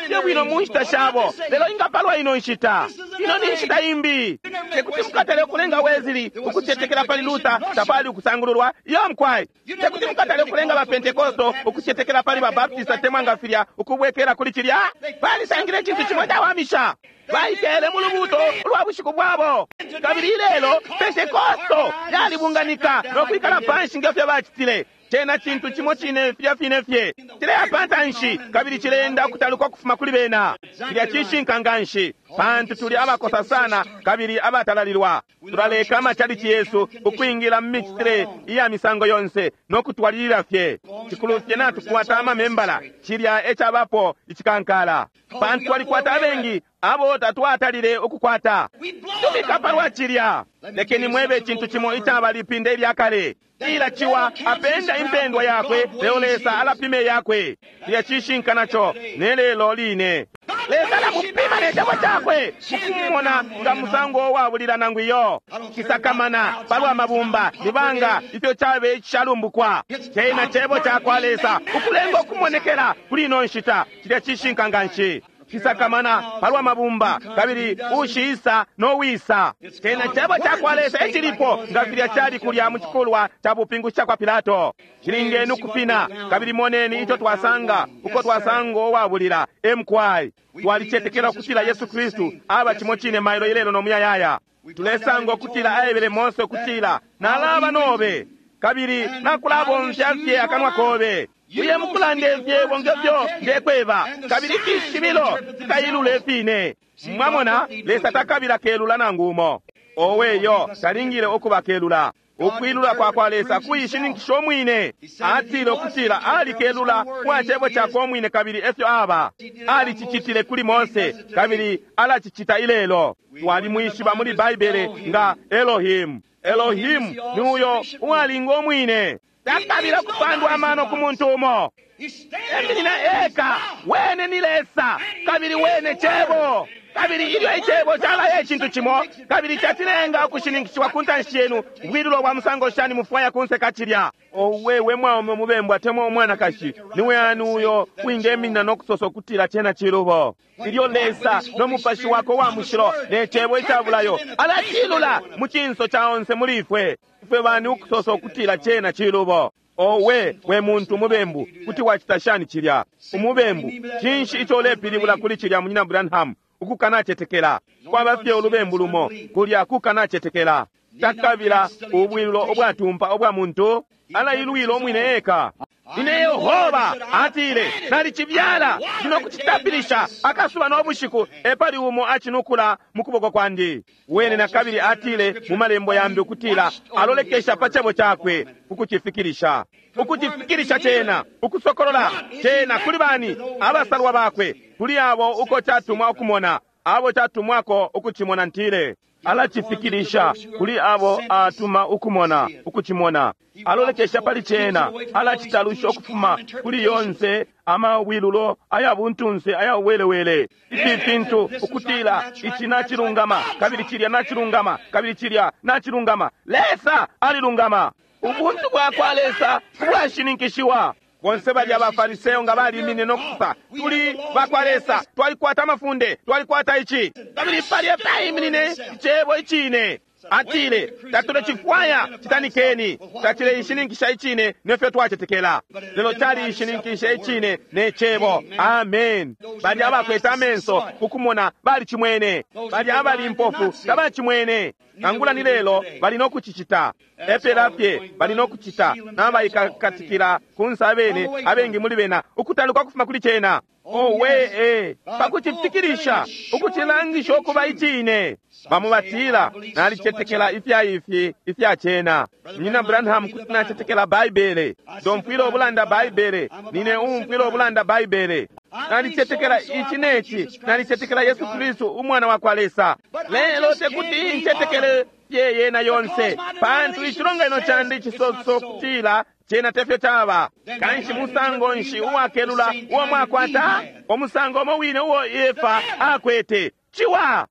Fye bwino mu nshita shabo, lelo ingapalwa ino nshita. Ino ni nshita imbi. Tekuti mukatale ukulenga Wesley ukucetekela pali Luther, tapali ukusangululwa iyo mkwai. Tekuti mukatale ukulenga ba Pentekosto ukucetekela pali ba Baptist atemwa nga filya ukubwekela kuli cilya. Balisangile icintu cimo cawamisha. Baikele mu lubuto ulwa bushiku bwabo. Kabili ilelo Pentekosto yalibunganika no kwikala panshi ngefyo bacitile. Cena cintu cimo cine filya fine fye cileya pantanshi kabili cileenda ukutaluka ukufuma kuli bena. Cilya cishinka nganshi, pantu tuli abakosa sana kabili abatalalilwa. Tulaleka amachalichi yesu ukwingila mu micitile iya misango yonse no kutwalilila fye. Cikulu fye natukwata amamembala, cilya ecabapo icikankala, pantu twalikwata abengi abo tatwatalile ukukwata. Tubika palwa cilya. Lekeni mwebe icintu cimo icaba lipinde ilya kale. Ila ciwa apenda impendwa yakwe, lelo Lesa alapime yakwe. Cilya cishinka naco ne lelo line. Lesa alamupima ne cebo cakwe mukumona nga musango wabulila nangu iyo. Cisakamana palwa mabumba nibanga ifyo cabe icishalumbukwa. Cena cebo cakwa Lesa ukulenga ukumonekela kuli ino nshita. Cilya cishinka nganshi. Cisakamana palwa mabumba kabili ushiisa no wisa. Cena cebo cakwa Lesa ecilipo nga filya cali kulya mu cikulwa ca bupingushi cakwa Pilato. Cilingeni ukufina kabili moneni ico twasanga uko twasanga uwabulila emkwai. Twalicetekela ukutila Yesu Kristu aba cimo cine mailo ilelo no muyayaya. Tulesanga ukutila aebele Mose ukutila nalaba nobe kabili nakulabomfya fye akanwa kobe. Uye mukulanda ifyebo ngefyo ndekweba, kabili ifishibilo fikailula ifine. Mwamona, Lesa takabila kelula nangu umo. Oweyo talingile ukuba kelula. Ukwilula kwa kwa Lesa kuishininkisha umwine. Atile ukutila alikelula kwa cebo cakwe umwine kabili efyo aba. Alicicitile kuli Mose kabili alacicita ilelo. Twalimwishiba muli Baibele nga Elohim. Elohim ni uyo uwalinga umwine. Takabila kupandwa amano ku muntu umo. Eminina eka, wene ni Lesa, kabili wene cebo. Kabili ilyo icebo calaya icintu cimo, kabili cacilenga ukushininkishiwa ku ntanshi yenu, ubwilulo bwa musango shani mufwaya kunseka cilya. Owe we mwaume umubembu atemwa umwanakashi, niwe ani uyo wingeminina no kusosa ukutila cena cilubo? Ilyo Lesa no mupashi wako wa mushilo ne cebo icabulayo alacilula mu cinso ca onse muli ifwe. Ifwe bani ukusosa ukutila cena cilubo? Owe we muntu umubembu, kuti wacita shani cilya? Umubembu, cinshi ico ulepilibula kuli cilya, munyina Branham? Ukukanacetekela kwaba fye ulubembu lumo, kulya kukanacetekela. Takabila ubwilulo ubwatumpa ubwa muntu, alailwila umwine eka. Ine Yehova atile nalicibyala ndino kucitapilisha akasuba no bushiku, epali umo acinukula mu kuboko kwandi. Wene na kabili atile mu malembo yambi ukutila alolekesha pa cebo cakwe ukucifikilisha, ukucifikilisha cena, ukusokolola cena kuli bani abasalwa bakwe, kuli abo uko catumwa ukumona, abo catumwako ukucimona. Ntile alacifikilisha kuli abo atuma ukumona, ukucimona. Alolekesha pali cena, alacitalusha ukufuma kuli yonse amawilulo aya buntunse aya uwelewele. Ifi fintu ukutila ici nacilungama kabili cilya nacilungama kabili cilya nacilungama. Lesa alilungama. Ubuntu bwa kwa Lesa ubwashininkishiwa. Bonse balya abaFariseyo nga balimine no kusosa, tuli bakwa Lesa, twalikwata amafunde, twalikwata ici. Kabili palya paiminine icebo icine. Atile, tatulecifwaya, citanikeni. Tacileishininkisha icine nefyo twacetekela, lelo caliishininkisha icine ne cebo. Amen. Balya abakwete amenso kukumona balicimwene, balya abali impofu tabacimwene. Nangula ni lelo bali no kucicita, epela fye bali no kucita, nabaikakatikila kunsa abene, abengi muli bena ukutaluka kufuma kuli cena. Owe e pakucifikilisha ukucilangisha ukuba icine. Bamo batila, nalicetekela ifya ifi ifya cena. Munyina Branham, kuti nacetekela Baibele. Ndomfwila ubulanda Baibele. Nine uumfwila ubulanda Baibele. Nalicetekela ici neci, nalicetekela Yesu Kristu umwana wa kwa Lesa. Lelo tekuti ncetekele fye yena yonse, pantu icilonganino candi cisoso kutila cena tefyo caba. Kanshi musango nshi uwakelula uwo mwakwata? Umusango umo wine uwo Efa akwete. Ciwa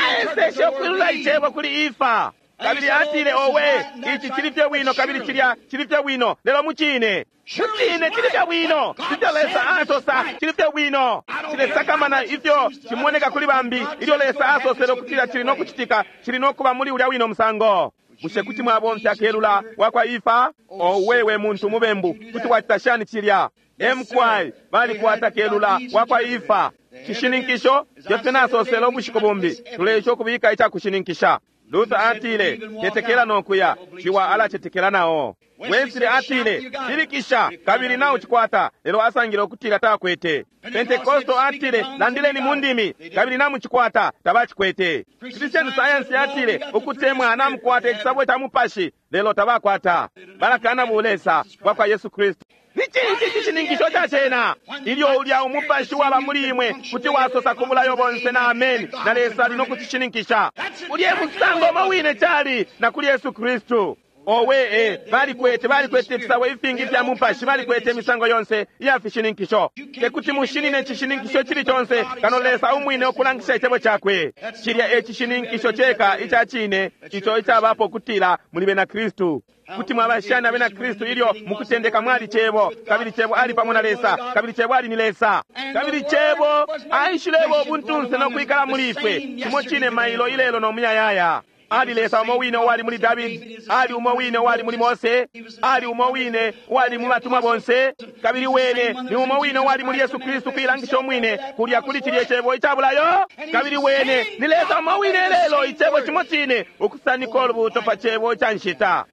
aeseshe ukwilula icebo kuli Efa, kabili atile, owe, ici cili fye bwino, kabili cilya cili fye bwino. Lelo mucine mucine cili fye bwino, ifyo Lesa asosa cili fye bwino. Cilesakamana ifyo cimoneka kuli bambi. Ilyo Lesa asosele ukutila cili no kucitika, cili no kuba muli ulya wino musango. Bushe kuti mwabomfya kelula wakwa Efa? Owe we muntu mubembu, kuti wacita shani cilya? Emkwai balikwata kelula wakwa Efa. Cishininkisho fyofye nasosele ubushiku bumbi, tuleisha ukubika icakushininkisha. Luther atile, tetekela nokuya, ciwa alacetekela nao. Wesley atile, silikisha kabili naucikwata, lelo asangile ukutila takwete. Pentekosto atile, landileni mu ndimi kabili namucikwata, tabacikwete. Christian Science atile, ukutemwa namukwata icisabo ca mupashi, lelo tabakwata. Balakana bulesa bwakwa Yesu Kristu. Ni cinshi cishininkisho ca cena? Ilyo ulya umupashi waba muli imwe kuti wasosa ku bulayo bonse na ameni, na Lesa ali no kucishininkisha. Ulye musango umo wine cali na kuli Yesu Kristu. Owe e balikwete balikwete ifisabo ifingi ifya mupashi, balikwete imisango yonse iya fishininkisho. Tekuti mushinine icishininkisho cili conse kano Lesa umwine ukulangisha icebo cakwe. Cilya e cishininkisho ceka ica cine ico icabapo kutila muli bena Kristu. Kuti mwaba shani abena Kristu ilyo mukutendeka mwali cebo, kabili cebo ali pamo na Lesa, kabili cebo ali ni Lesa, kabili cebo aishilebo ubuntunse no kwikala muli ifwe, cimo cine mailo ilelo no muyayaya. Ali Lesa umo wine uwali muli Davidi, ali umo wine uwali muli Mose, ali umo wine uwali mu batumwa bonse, kabili wene ni umo wine uwali muli Yesu Kristu kuilangisha umwine kulya kuli cilye cebo icabulayo. Kabili wene ni Lesa umo wine lelo, icebo cimo cine ukusanika ulubuuto pa cebo ica nshita.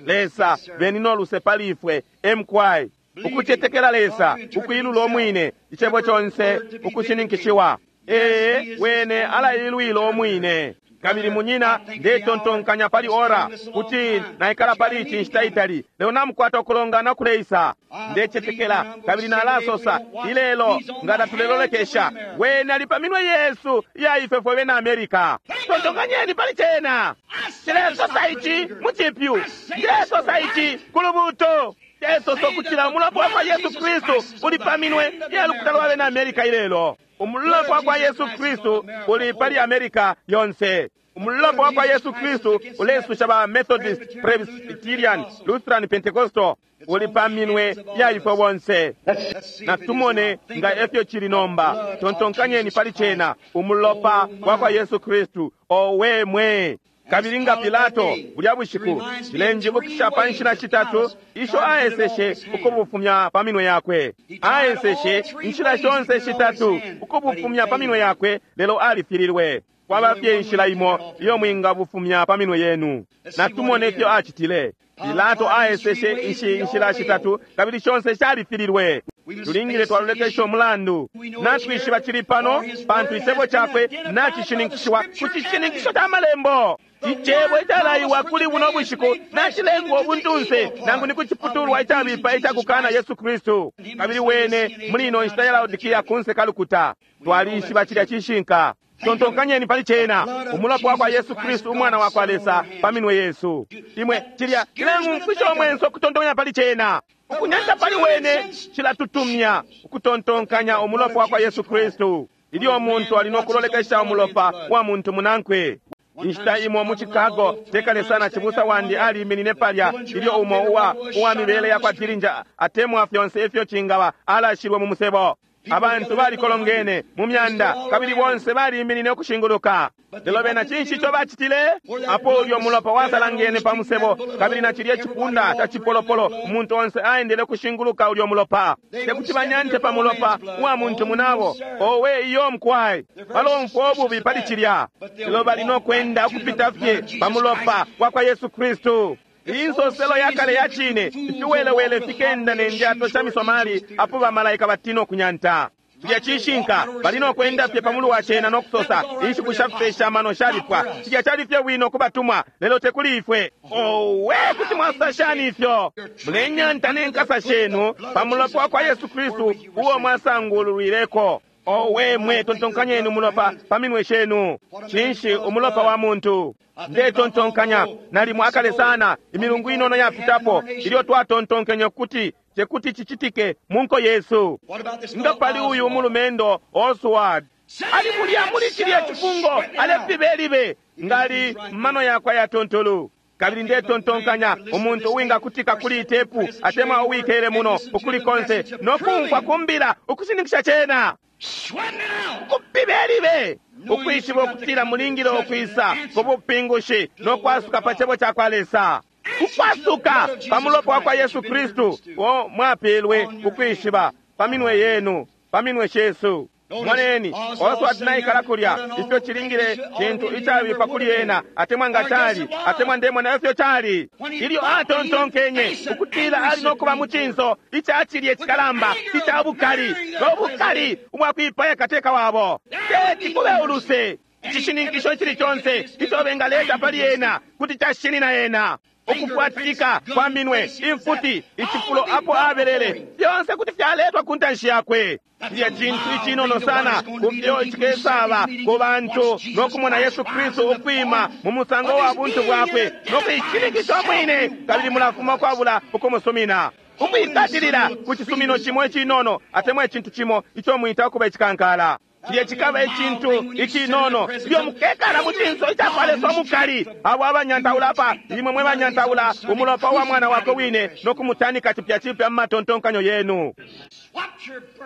Lesa beni no luse pali ifwe. Emkwai ukucetekela Lesa, ukwilula umwine icebo conse ukushininkishiwa. Ee, wene alailwila umwine. Kabili munyina, ndetontonkanya pali ora kuti naikala pali ici nshita itali, lelo namukwata ukulongana kuleisa. Ndecetekela kabili nalasosa ilelo nga tatulelolekesha, wene ali pa minwe yesu iya ifwe fwe bena Amerika. Tontonkanyeni pali cena. Cilesosa ici mu cipyu, cilesosa ici ku lubuuto. Cilesosa ukutila umulopa wa kwa Yesu Kristu uli pa minwe iya lukuta lwa bena Amerika ilelo. Umulopa wa kwa Yesu Kristu uli pali Amerika yonse. Umulopa wa kwa Yesu Kristu ulesusha ba Methodist, Presbyterian, Lutheran, Pentecostal, uli pa minwe ya ifwe bonse. Natumone nga efyo cili nomba. Tontonkanyeni pali cena, umulopa wa kwa Yesu Kristu. Owe mwe! Kabili nga Pilato bulya bushiku cilenjibukisha pa nshila shitatu isho aeseshe ukubufumya pa minwe yakwe. Aeseshe inshila shonse shitatu ukubufumya pa minwe yakwe, lelo alifililwe. Kwaba fye inshila imo iyo mwingabufumya pa minwe yenu. Natumone ifyo acitile. Pilato aeseshe ishi inshila shitatu kabili shonse shalifililwe. Tulingile twalolekesha umulandu. Natwishiba cili pano pantu icebo cakwe nacishininkishiwa ku cishininkisho ca malembo. Icebo icalaiwa kuli buno bushiku nacilengwa ubuntunse nangu ni kuciputulwa icabipa icakukana Yesu Kristu. Kabili wene muli ino nshita ya Laodikia kunse kalukuta. Twalishiba cilya cishinka. Tontonkanyeni pali cena, umulopa wa kwa Yesu Kristu umwana wa kwa Lesa pa minwe yesu. Imwe cilya cilengumfwisha umwenso ukutontonkanya pali cena. Ukunyanta pali wene cilatutumya ukutontonkanya umulopa wa kwa Yesu Kristu. Ilyo umuntu ali no kulolekesha umulopa wa muntu munankwe. Inshita imo mu Chicago, tekale sana, cibusa wandi aliminine palya ilyo umo uwa uwa mibele yakwa Dillinger atemwa fyonse ifyo cingaba alashilwe mu musebo. Abantu balikolongene mu myanda kabili bonse baliminine ukushinguluka. Lelo bena cinshi ico bacitile? Apo ulyo mulopa wasalangene pa musebo kabili na cilye cipunda ca cipolopolo, umuntu onse aendele ukushinguluka ulyo mulopa. Tekuti banyante pa mulopa uwa muntu munabo. Owe iyo mkwai, balomfwa ububi pali cilya. Lelo bali no kwenda ukupita fye pa mulopa wa kwa Yesu Kristu. Insoselo yakale ya cine, ifiwelewele fikenda ne ndyato sha misomali apo bamalaika batina okunyanta. Cilya cishinka, bali no kwenda fye pamulu wa cena no kusosa inshiku sha fipesha amano shalipwa. Cilya cali fye bwino kubatumwa, lelo tekuli ifwe. Owe, kuti mwasosa shani ifyo? Mulenyanta ne nkasa shenu pa mulopa wa kwa Yesu Kristu uo mwasangululwileko. Owe mwe, tontonkanyeni umulopa pa minwe shenu. Cinshi umulopa wa muntu? Ndetontonkanya nalimo akale sana, imilungu inono yapitapo, ilyo twatontonkenye kuti tekuti cicitike mu nko yesu. Nga pali uyu umulumendo Oswald ali mulya muli cilya cifungo alepibelibe ngali mano yakwe yatontolu. Kabili ndetontonkanya umuntu uwingakutika kuli itepu atemwa uwikele muno ukuli konse nokumfwa kumbila ukushininkisha cena kupibelibe ukwishiba ukutila mulingile ukwisa ku bupingushi nokwasuka pa cebo ca kwa Lesa, ukwasuka pa mulopa wa kwa Yesu Kristu wo mwapelwe ukwishiba pa minwe yenu, pa minwe shesu. Moneni Oswald naikala kulya, ifyo cilingile cintu icabipa kuli ena, atemwa nga cali, atemwa ndemona ifyo cali. Ilyo atontonkenye ukutila ali nokuba mu cinso ica cilye cikalamba ica bukali, no bukali ubwakwipaya kateka wabo, teti kube uluse. Icishininkisho icili conse ico bengaleta pali ena kuti cashinina ena. Ukufwatika kwa minwe, imfuti, icifulo apo abelele, fyonse kuti fyaletwa ku ntanshi yakwe. Cilya cintu icinono sana kufyo cikesaba ku bantu nokumona Yesu Kristu ukwima mu musango wa buntu bwakwe nokuishininkisha umwine, kabili mulafuma ukwabula ukumusumina. Ukwikatilila ku cisumino cimo icinono atemwa icintu cimo ico mwita ukuba icikankala. Cilya cikaba icintu icinono ilyo mukekala mu cinso icakwa Lesa umukali. Abo abanyantaula apa, imwe mwe banyantaula umulopa wa mwana wakwe wine nokumutanika cipya cipya mu matontonkanyo yenu,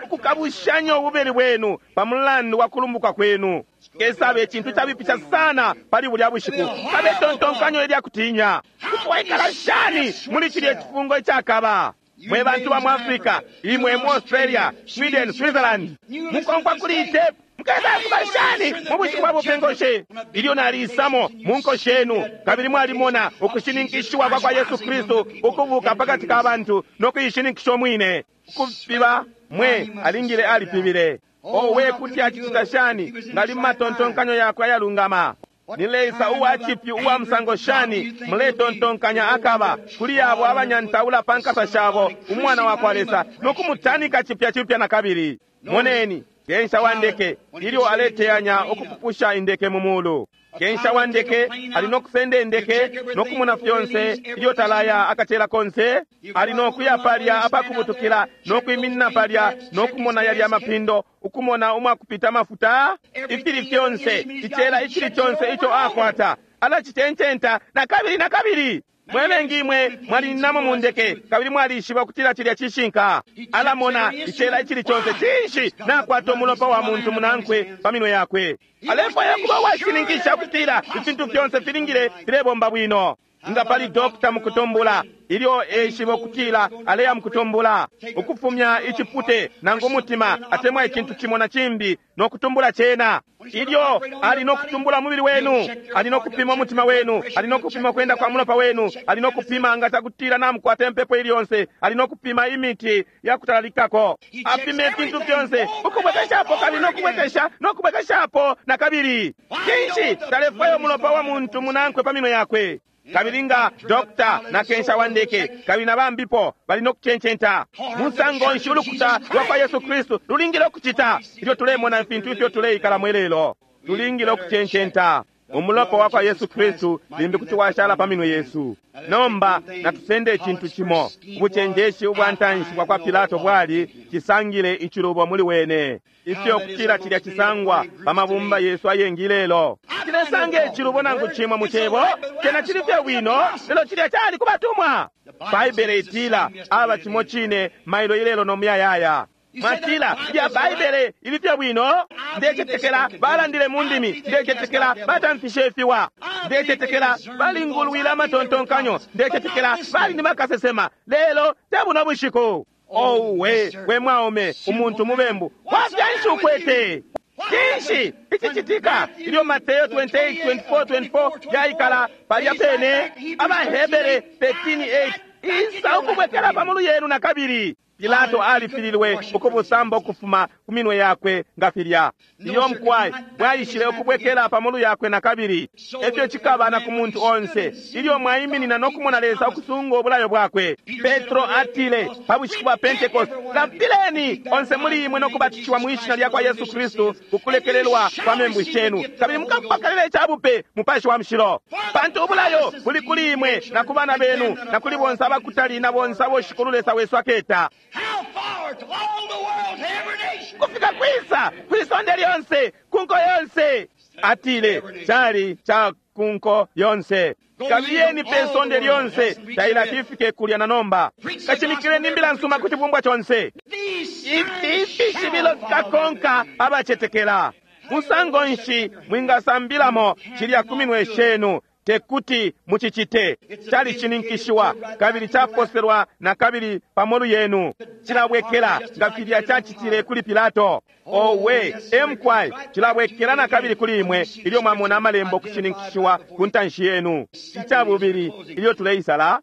ukukabushanya ububeli bwenu pa mulandu wa kulumbuka kwenu. Kesabe icintu cabipisha sana pali bulya bushiku, kabe tontonkanyo ilya kutinya. Kuti waikala shani muli cilya cifungo icakaba? Mwe bantu ba mu Africa, imwe mu Australia, Sweden, Switzerland, mukonkwa kuli itepu mukesa kuba shani mu bushiku bwa bupingushi? Ilyo nalisamo mu nko shenu kabili mwalimona ukushininkishiwa kwa kwa Yesu Kristu ukubuka pakati ka bantu nokuishininkisha umwine. Ukupiba mwe alingile alipibile. Owe, kuti acicita shani ngali mu matontonkanyo yakwe ayalungama? Ni Lesa uwa cipyu uwa musango shani muletontonkanya akaba kuli abo abanyantaula pa nkasa shabo umwana wa kwa Lesa nokumutanika cipya cipya na kabili. Moneni kensha wa ndeke ilyo aleteyanya ukupupusha indeke mu mulu. Kensha wa ndeke ali nokusenda indeke nokumona fyonse ilyo talaya akacela konse. Ali nokuya palya apakubutukila nokwiminina palya nokumona yalya amapindo, ukumona umwakupita amafuta, ifili fyonse, icela icili conse ico akwata alacitencenta na kabili na kabili. Mwe bengi imwe mwalinamo mu ndeke kabili mwalishiba ukutila cilya cishinka. Alamona icela icili conse, cinshi nakwata umulopa wa muntu munankwe pa minwe yakwe. Alefwaya kuba uwashininkisha ukutila ifintu fyonse filingile filebomba bwino. Nga pali dokta mukutumbula, ilyo eshiba ukutila aleya mukutumbula, ukufumya icipute nangu umutima atemwa icintu cimo na cimbi nokutumbula cena. Ilyo ali nokutumbula mubili wenu, ali nokupima umutima wenu, ali nokupima kwenda kwa mulopa wenu, ali nokupima nga cakutila namukwata impepo ili yonse, ali nokupima imiti yakutalalikako. Apime ifintu fyonse ukubwekeshapo kabili nokubwekesha nokubwekeshapo na kabili. Cinshi talefwaya umulopa wa muntu munankwe pa minwe yakwe? Kabili nga dokta na kensha wa ndeke kabili na bambipo bali nokucencenta. Musango nshi ulukuta lwa kwa Yesu Kristu lulingile ukucita ilyo tulemona ifintu ifyo tuleikala mwelelo? Tulingile ukucencenta. Umulopa wa kwa Yesu Kristu limbi kuti washala pa minwe yesu. Nomba natusende icintu cimo. Ubucenjeshi ubwa ntanshi bwa kwa Pilato bwali cisangile icilubo muli wene. Ifyo kutila cilya cisangwa pa mabumba yesu ayengi lelo. Cilesanga icilubo nangu cimo mu cebo, cena cili fye bwino, lelo cilya cali kubatumwa. Baibele itila aba cimo cine mailo ilelo no muyayaya. Mwatila lya Baibele ili fye bwino. Ndecetekela balandile mu ndimi, ndecetekela batamfishe ifiwa, ndecetekela balingulwile amatontonkanyo, ndecetekela bali ni bakasesema, lelo te buno bushiku. Owe we mwaume, umuntu mubembu wafyanshi ukwete? Cinshi icicitika ilyo Mateo twenty-eight twenty-four twenty-four yaikala palya pene? AbaHebere thirteen eight isa ukubwekela pamulu yenu na kabili. Pilato alifililwe ukubusamba ukufuma ku minwe yakwe nga filya. Iyo mkwai bwaishile ukubwekela pamulu yakwe na kabili. Efyo cikaba na ku muntu onse ilyo mwaiminina no kumona Lesa ukusunga ubulayo bwakwe. Petro atile pa bushiku bwa Pentecost, lapileni onse muli imwe no kubatishiwa mu ishina lya kwa Yesu Kristu kukulekelelwa kwa membu shenu, kabili mukapokelela icabupe Mupashi wa Mushilo. Pantu ubulayo buli kuli imwe na ku bana benu na kuli bonse abakutali na bonse abo Shikulu Lesa wesu aketa. How far to all the world, to every nation. Kufika kwisa kwisonde lyonse kunko yonse. Atile cali ca kunko yonse. Kabiyeni pe sonde lyonse tailati kulya na nomba. Kashimikileni imbila nsuma kuti bumbwa chonse. These Ifi ifishibilo fikakonka abacetekela. Musango nshi mwingasambilamo cilya ku minwe shenu tekuti mucicite. Cali cininkishiwa kabili caposelwa na kabili pamolu yenu. Cilabwekela nga filya cacitile kuli Pilato. Owe emkwai cilabwekela na kabili kuli imwe ilyo mwamona amalembo kucininkishiwa ku ntanshi yenu. Icabubili ilyo tuleisala,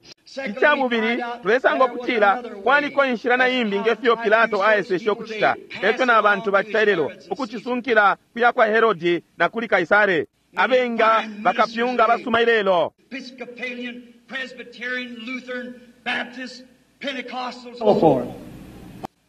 icabubili tulesanga ukutila kwaliko inshila na imbi ngefyo Pilato aeseshe ukucita, efyo na bantu bacita ilelo, ukucisunkila kuya kwa Herodi na kuli Kaisare. Abenga bakapyunga basuma ilelo. Episcopalian, Presbyterian, Lutheran, Baptist, Pentecostals, so forth.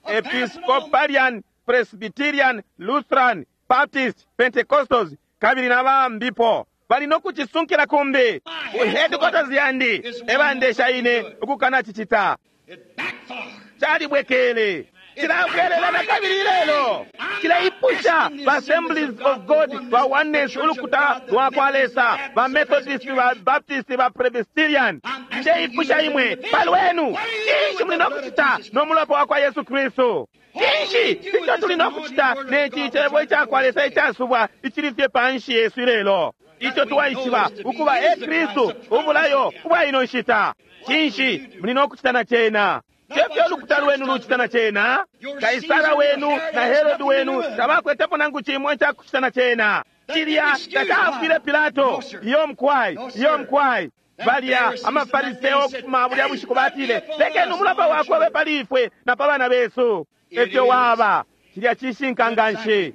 Episcopalian, Presbyterian, Lutheran, Baptist, Pentecostals, kabili na bambipo bali no kucisunkila kumbi. Ku headquarters yandi ebandesha ine ukukana cicita. It backfired. Calibwekele cilabwelela na kabili ilelo. Cilaipusha ba Assemblies of God, ba Oneness, ulukuta lwa kwa Lesa, ba Methodist, ba Baptist, ba Presbyterian. Ndeipusha imwe palwenu, cinshi muli no kucita no mulopa wa kwa Yesu Kristu? Cinshi ico tuli no kucita neci cebo ica kwa Lesa icasubwa icili fye panshi yesu ilelo, ico twaishiba ukuba e Kristu ubulayo ubwa ino nshita? Cinshi muli no kucita na cena? Tefyo ulukuta lwenu lucita na cena? Kaisara wenu na Herodi wenu tabakwetepo nangu cimo icakucita na cena. Cilya tacafwile Pilato. Iyo mkwai, iyo mkwai. Balya amafariseo okufuma bulya bushiku batile, lekeni umulopa wakwe ube pali ifwe na pa bana besu. Efyo waba cilya cishinka nganshi.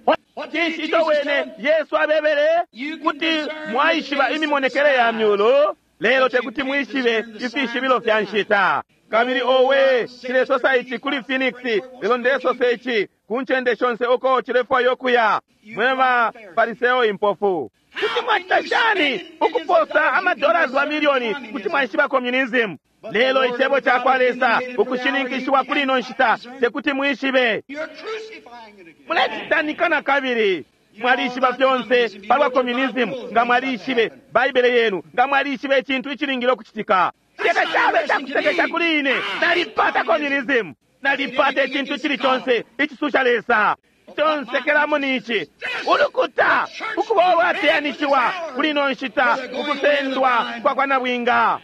Cinshi ico wene Yesu abebele? Kuti mwaishiba imimonekele ya myulu, lelo tekuti mwishibe ifishibilo fya nshita. Kabili owe cilesosa ici kuli Phoenix, lelo ndesosa ici ku ncende shonse uko cilefwayo kuya. Mwe ba Fariseo impofu, kuti mwacita shani ukuposa amadollars wa milioni kuti mwaishiba communism? Lelo icebo ca kwa Lesa ukushininkishiwa kuli ino nshita tekuti mwishibe. You're crucifying it again. Mulecitanika na kabili. Mwalishiba fyonse palwa communism, nga mwalishibe Baibele yenu, nga mwalishibe icintu icilingile ukucitika. Ceka cabe cakusekesha kuli ine. Nalipata communism, nalipata icintu icili conse icisusha Lesa. Consekelamo nici ulukuta ukuba ulwateyanishiwa kuli ino nshita, ukusendwa kwa kwa nabwinga,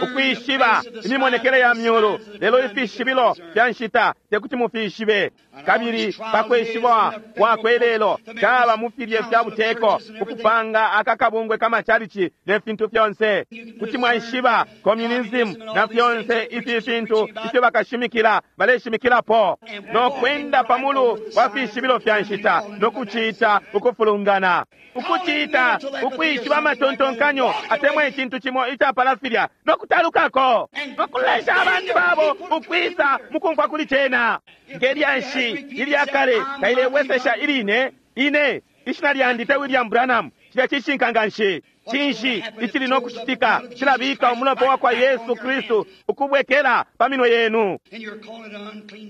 ukwishiba imimonekele ya myulu, lelo ifishibilo fya nshita tekuti mufishibe. Kabili pakweshiba kwakwe lelo caba mu filye fya buteko ukupanga akakabungwe kamachalichi ne fintu fyonse. Kuti mwaishiba communism na fyonse ifi fintu ifyo bakashimikila baleshimikilapo, no kwenda pamulu wa fishibilo fya nshita no kucita ukufulungana, ukucita ukwishiba amatontonkanyo atemwa icintu cimo icapala filya no kutalukako, no kulesha abantu babo ukwisa mukumfwa kuli cena. Ngelyanshi ilya kale tailebwesesha iline ine ishina lyandi te William Branham, Cilya cishinka nganshi. Cinshi icili no kucitika cilabika umulopa wa kwa Yesu Kristu ukubwekela pa minwe yenu.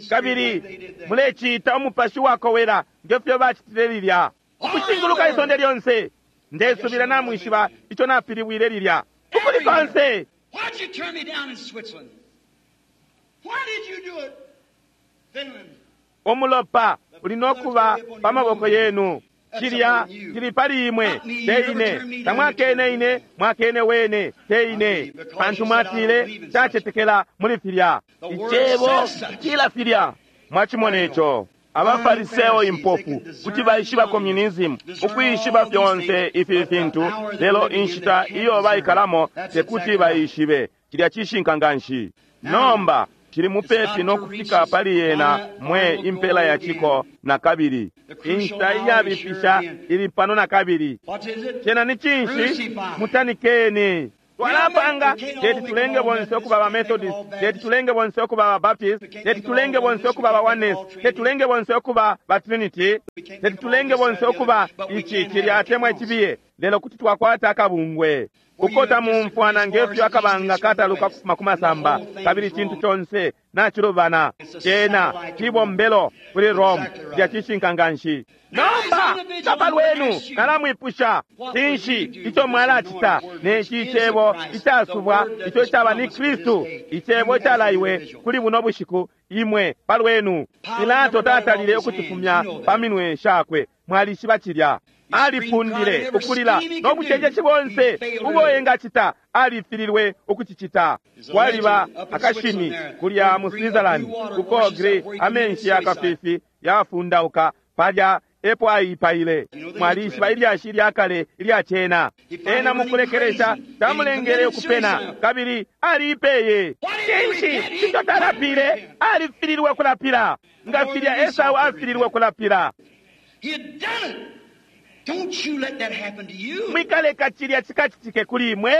Kabili mulecita umupashi wakowela ngefyo bacitile lilya ukushinguluka isonde lyonse. Ndesubila namwishiba ico napilibwile lilya ukuli konse. Why'd you turn me down in Switzerland? Why did you do it? Finland. Umulopa uli nokuba pa maboko yenu. Cilya cili pali imwe, te ine. Tamwakene ine, mwakene wene, te ine. Pantu mwatile tacetekela muli filya. Icebo cila filya. Mwachimona ico. Abafariseo impofu kuti baishiba communism, ukwishiba fyonse ifi fintu, lelo inshita iyo baikalamo tekuti baishibe. Cilya cishinka nganshi. Nomba cili mupepi no kufika pali yena mwe impela ya ciko na kabili. Inshita iyabipisha ili pano na kabili. Cena ni cinshi? Mutanikeni. Twalapanga teti tulenge bonse okuba ba Methodist, teti tulenge bonse okuba ba Baptist, teti tulenge bonse okuba ba Oneness, teti tulenge bonse okuba ba Trinity, teti tulenge bonse okuba ici cilya atemwa icibiye, lelo kuti twakwata akabungwe. Ukota mumfwana ngefyo akabanga kataluka kufuma kumasamba, kabili cintu conse nachilubana. Cena cibombelo kuli Rome, cilya cishinka nganshi. Nomba kapa lwenu nalamwipusha, cinshi ico mwalacita neci icebo icasubwa ico icaba ni Kristu, icebo icalaiwe kuli buno bushiku imwe palwenu? Pilato tatalile ukucifumya pa minwe shakwe, mwalishiba cilya. Alipundile ukulila no bucenjeshi bonse ubo engacita, alifililwe ukucicita. Kwaliba akashimi kulya mu Switzerland kuko gre amenshi yakafifi yafundauka palya epo aipaile. Mwalishiba ilyashi lyakale ilya cena. Ena mukulekelesha tamulengele ukupena kabili aliipeye. Cinshi ico talapile? Alifililwe kulapila nga filya Esau afililwe kulapila. Don't you let that happen to you. Mwikaleka cilya cikacitike kuli imwe.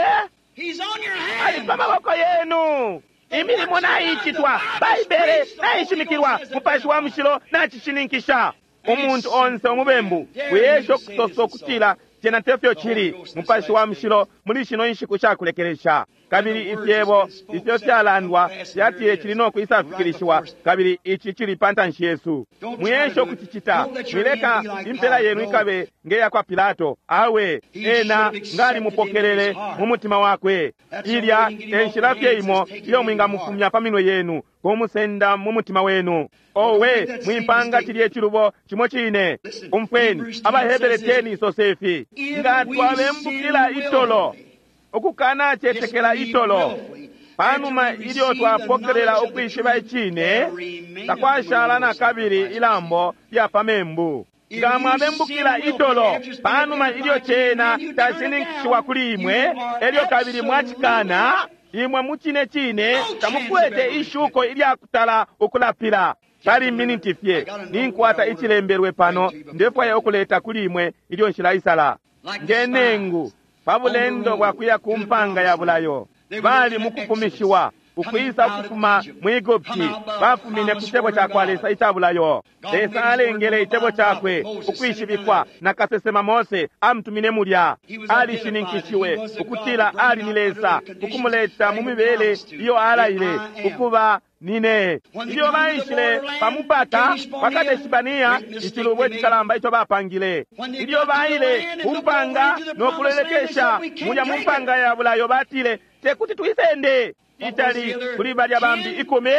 He's on your Ali hand. pa maboko yenu. Imilimo naicitwa, Baibele naishimikilwa, Mupashi wa Mushilo nacishininkisha. Umuntu onse umubembu wiyesha okusosa okutila cena tefyo cili. Mupashi wa Mushilo muli shino inshiku shakulekelesha, kabili ifyebo ifyo fyalandwa fyatile cili no kwisafikilishiwa, kabili ici cili pa ntanshi yesu. Mwiyesha ukucicita. Mwileka impela yenu ikabe ngeya kwa Pilato. Awe ena ngalimupokelele mu mutima wakwe. Ilya enshila fye imo iyo mwingamufumya pa minwe yenu, kumusenda mu mutima wenu. Owe, mwimpanga cilye icilubo cimo cine. Umfweni, AbaHebere teni isosefi, nga twabembukila itolo, ukukanacetekela itolo, panuma ilyo twapokelela ukwishiba icine, takwashala na kabili ilambo lya pa membu. Nga mwabembukila itolo, panuma ilyo cena cashininkishiwa kuli imwe, elyo kabili mwacikana, imwe mucine cine tamukwete ishuko ilyakutala ukulapila. Pali miniti fye ninkwata icilembelwe pano, ndefwaya ukuleta kuli imwe ilyo nshilaisala. Nge nengu pa bulendo bwa kuya ku mpanga ya bulayo, bali mukufumishiwa ukwisa ukufuma mu Egupti, bafumine ku cebo ca kwa Lesa ica bulayo. Lesa alengele icebo cakwe ukwishibikwa na kasesema Mose amutumine mulya. Alishininkishiwe ukutila ali ni Lesa, ukumuleta mu mibele iyo alaile ukuba nine. Ilyo baishile pamupata pa Kadeshibania, icilubo icikalamba ico bapangile. Ilyo baile ku mpanga no kulolekesha mulya mu mpanga ya bulayo, batile tekuti tuisende. Itali kuli balya bambi ikumi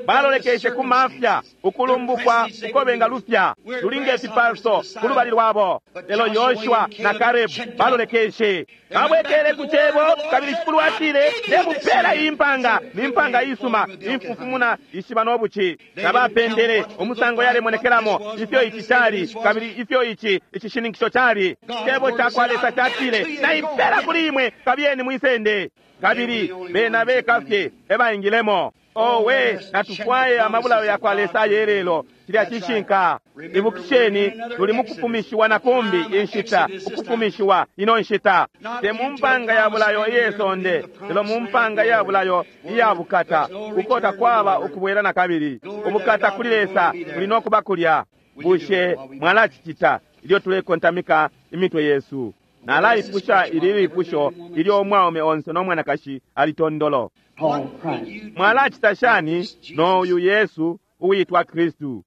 balolekeshe ku mafya, ukulumbukwa uko bengalufya lulinga ifipaso ku lubali lwabo. Lelo Yoshua na Kalebu balolekeshe, babwekele ku cebo, kabili Shikulu atile, ndemupela iyi mpanga, ni mpanga isuma, imfufumuna ishiba no buci. Tabapendele umusango yalemonekelamo, ifyo ici cali, kabili ifyo ici icishininkisho cali. Cebo ca kwa Lesa catile, naipela kuli imwe, kabiyeni mwisende. Kabili bena bekafye ebaingilemo. Owe, natufwaye amabulayo ya kwa Lesa ayelelo. Cilya cishinka. Ibukisheni, tuli mukufumishiwa na kumbi inshita, ukufumishiwa ino nshita. Te mu mpanga ya bulayo iye sonde, lelo mu mpanga ya bulayo iya bukata, uko takwaba ukubwela na kabili. Ubukata kuli Lesa buli no kuba kulya. Bushe mwalacicita ilyo tulekontamika imitwe yesu? Nalaipusha ili lipusho ilyo umwaume onse no mwanakashi ali tondolo. Called Christ. Mwalacita shani no uyu Yesu uwitwa Kristu?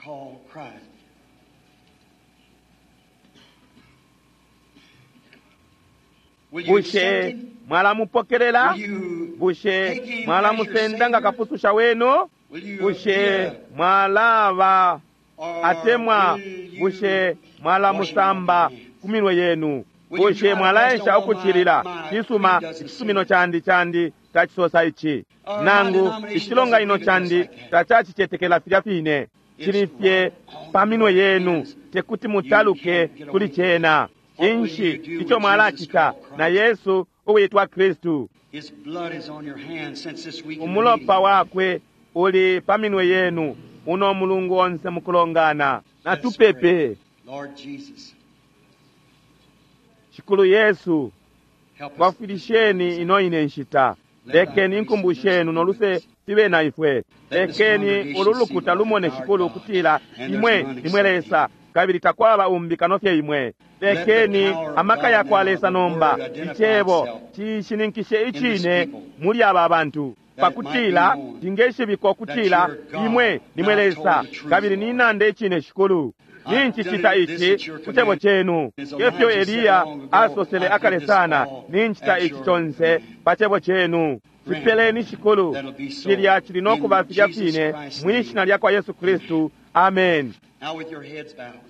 Called Christ. Will you Bushe accept him? mwalamupokelela? Will you Bushe take him as your mwalamusenda nga Savior? kapususha wenu? Will you Bushe be a- mwalaba or atemwa will you bushe mwalamusamba wash him ku minwe yenu? Will you Bushe try to mwalaesha rest all ukucilila? my- my Cisuma creed doesn't icisumino say candi candi tacisosa ici Or my nangu denomination icilonganino doesn't believe it candi just like that. tacacicetekela filya fine. It's Cili fye right on pa minwe your yenu, hands. tekuti You mutaluke can't get kuli away. cena. What will Inshi you do ico with Jesus mwalacita called Christ? na Yesu uwitwa Kristu? His blood is on your hands since this week in the Umulopa meeting. wakwe uli pa minwe yenu uno mulungu onse mukulongana. Let's Natupepe. pray. Lord Jesus, Shikulu Yesu, help us. twafwilisheni ino ine nshita. Lekeni inkumbu shenu no luse fibe na ifwe. Lekeni ulu lukuta lumone Shikulu ukutila imwe nimwe Lesa kabili takwaba umbi kano fye imwe. Lekeni amaka ya kwa Lesa nomba icebo cishininkishe icine muli aba bantu pakutila tingeshibikwa ukutila imwe nimwe Lesa kabili ninanda icine Shikulu. Ninchicita ici ku cebo chenu efyo Eliya asosele akale sana, ninchita ici chonse pa cebo chenu. Cipeleni Shikulu, cilya cili no kuba filya fine mwi shina lya kwa Yesu Kristu, amen. Now with your heads bowed.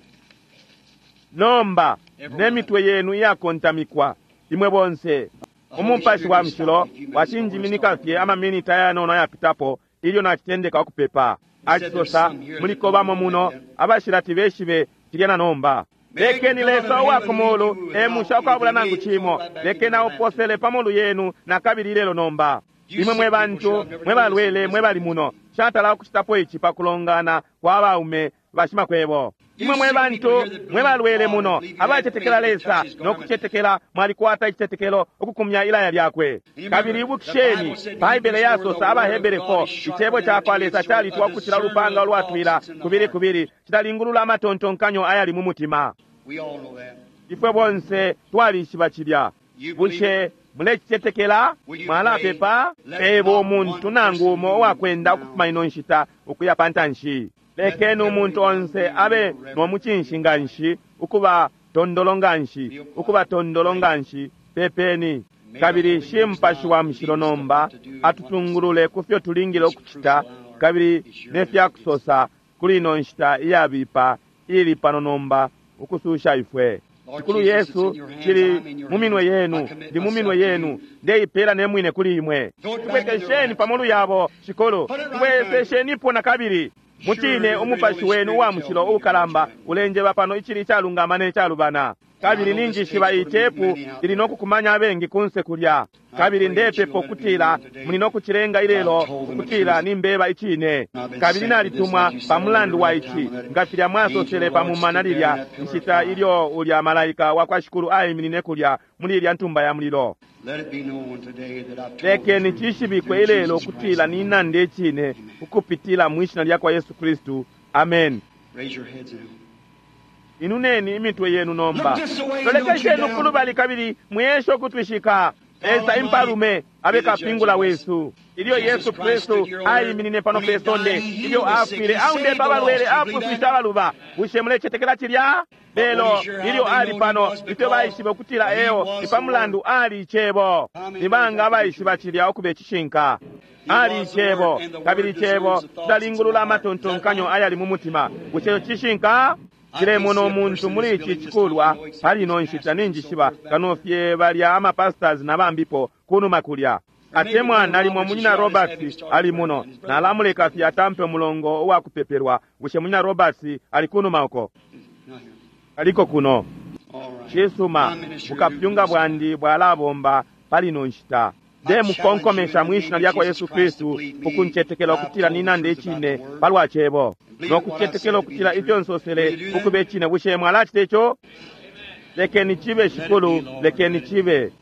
Nomba ne mitwe yenu iyakontamikwa, imwe bonse. Umupashi wa mushilo wacinjiminika fye amaminiti ayanono ayapitapo ilyo nacitendeka ukupepa. Acisosa muliko bamo muno abashilati beshibe cilya na nomba. Lekeni Lesa uwa ku mulu emusha ukwabula nangu cimo, lekeni auposele pa molu yenu na kabili ilelo nomba. Imwe mwe bantu mwe balwele mwe bali muno, shatala ukucitapo ici pa kulongana kwa baume bashimakwebo. Imwe mwe bantu mwe balwele muno abacetekela Lesa no kucetekela mwalikwata icitetekelo ukukumya ilaya lyakwe. Kabili ibukisheni Baibele yasosa AbaHebere four, icebo ca kwa Lesa calitwa ukucila ulupanga ulwatwila kubili kubili, cilalingulula amatontonkanyo ayali mu mutima. We all know that. Ifwe bonse twalishiba cilya. Bushe mulecicetekela? Mwalapepa? Peba umuntu nangu umo uwakwenda ukufuma ino nshita ukuya pa ntanshi. Lekeni umuntu onse abe no mucinshi nganshi, ukuba tondolo nganshi, ukuba tondolo nganshi, pepeni. Kabili shi Mupashi wa Mushilo nomba atutungulule ku fyo tulingile ukucita kabili ne fya kusosa kuli ino nshita iyabipa ili pano nomba ukususha ifwe. Shikulu Yesu, cili mu minwe yenu, ndi mu minwe yenu, ndeipela ne mwine kuli imwe. Tubwekesheni pa molu yabo, Shikulu, tubweseshenipo na kabili. Mucine umupashi wenu uwa mushilo uukalamba ulenjeba pano icili icalungama ne calubana. Kabili ninjishiba itepu ili no kukumanya abengi kunse kulya. Kabili ndepepa ukutila muli no kucilenga ilelo ukutila nimbeba icine. Kabili nalitumwa pa mulandu wa ici, nga filya mwasosele pa mumana lilya nshita ilyo ulya malaika wa kwa Shikulu aiminine kulya muli ilya ntumba ya mulilo. Let it be known today that I've told the Lekeni truth cishibikwe through ilelo Jesus ukutila Christ. ninanda icine ukupitila mwi shina lya kwa Yesu Kristu, amen. Raise your heads now. Inuneni imitwe yenu nomba, Look this way, lolekesheni don't you doubt. ukulubali kabili mwiyeshe ukutwishika. Lesa impalume abe kapingula wesu. Ilyo Yesu Kristu aiminine pano pe sonde, ilyo afwile aundepa abalwele, apuswishe abaluba. Bushe mulecetekela cilya? Lelo ilyo ali pano, ifyo baishibe ukutila eo ni pa mulandu ali icebo. Ni banga abaishiba cilya ukuba icishinka? Ali icebo, kabili icebo cilalingulula amatontonkanyo ayali mu mutima. Bushe ico cishinka? Cilemona umuntu muli ici cikulwa pali ino nshita ninjishiba kano fye balya amapastors na bambipo kunuma kulya. Atemwa nalimo munyina Roberts ali muno, nalamuleka fye atampe mulongo uwa kupepelwa. Bushe munyina Roberts ali kunuma uko? Not here. Aliko kuno. All right. Cisuma, My ministry bukapyunga bwandi bwalabomba pali ino nshita. Ndemukonkomesha mwi shina lya kwa Yesu Kristu ukuncetekela ukutila ninanda icine palwa cebo no kucetekela ukutila ifyo nsosele ukuba icine. Bushe mwalacita ico? Lekeni cibe, Shikulu, lekeni cibe.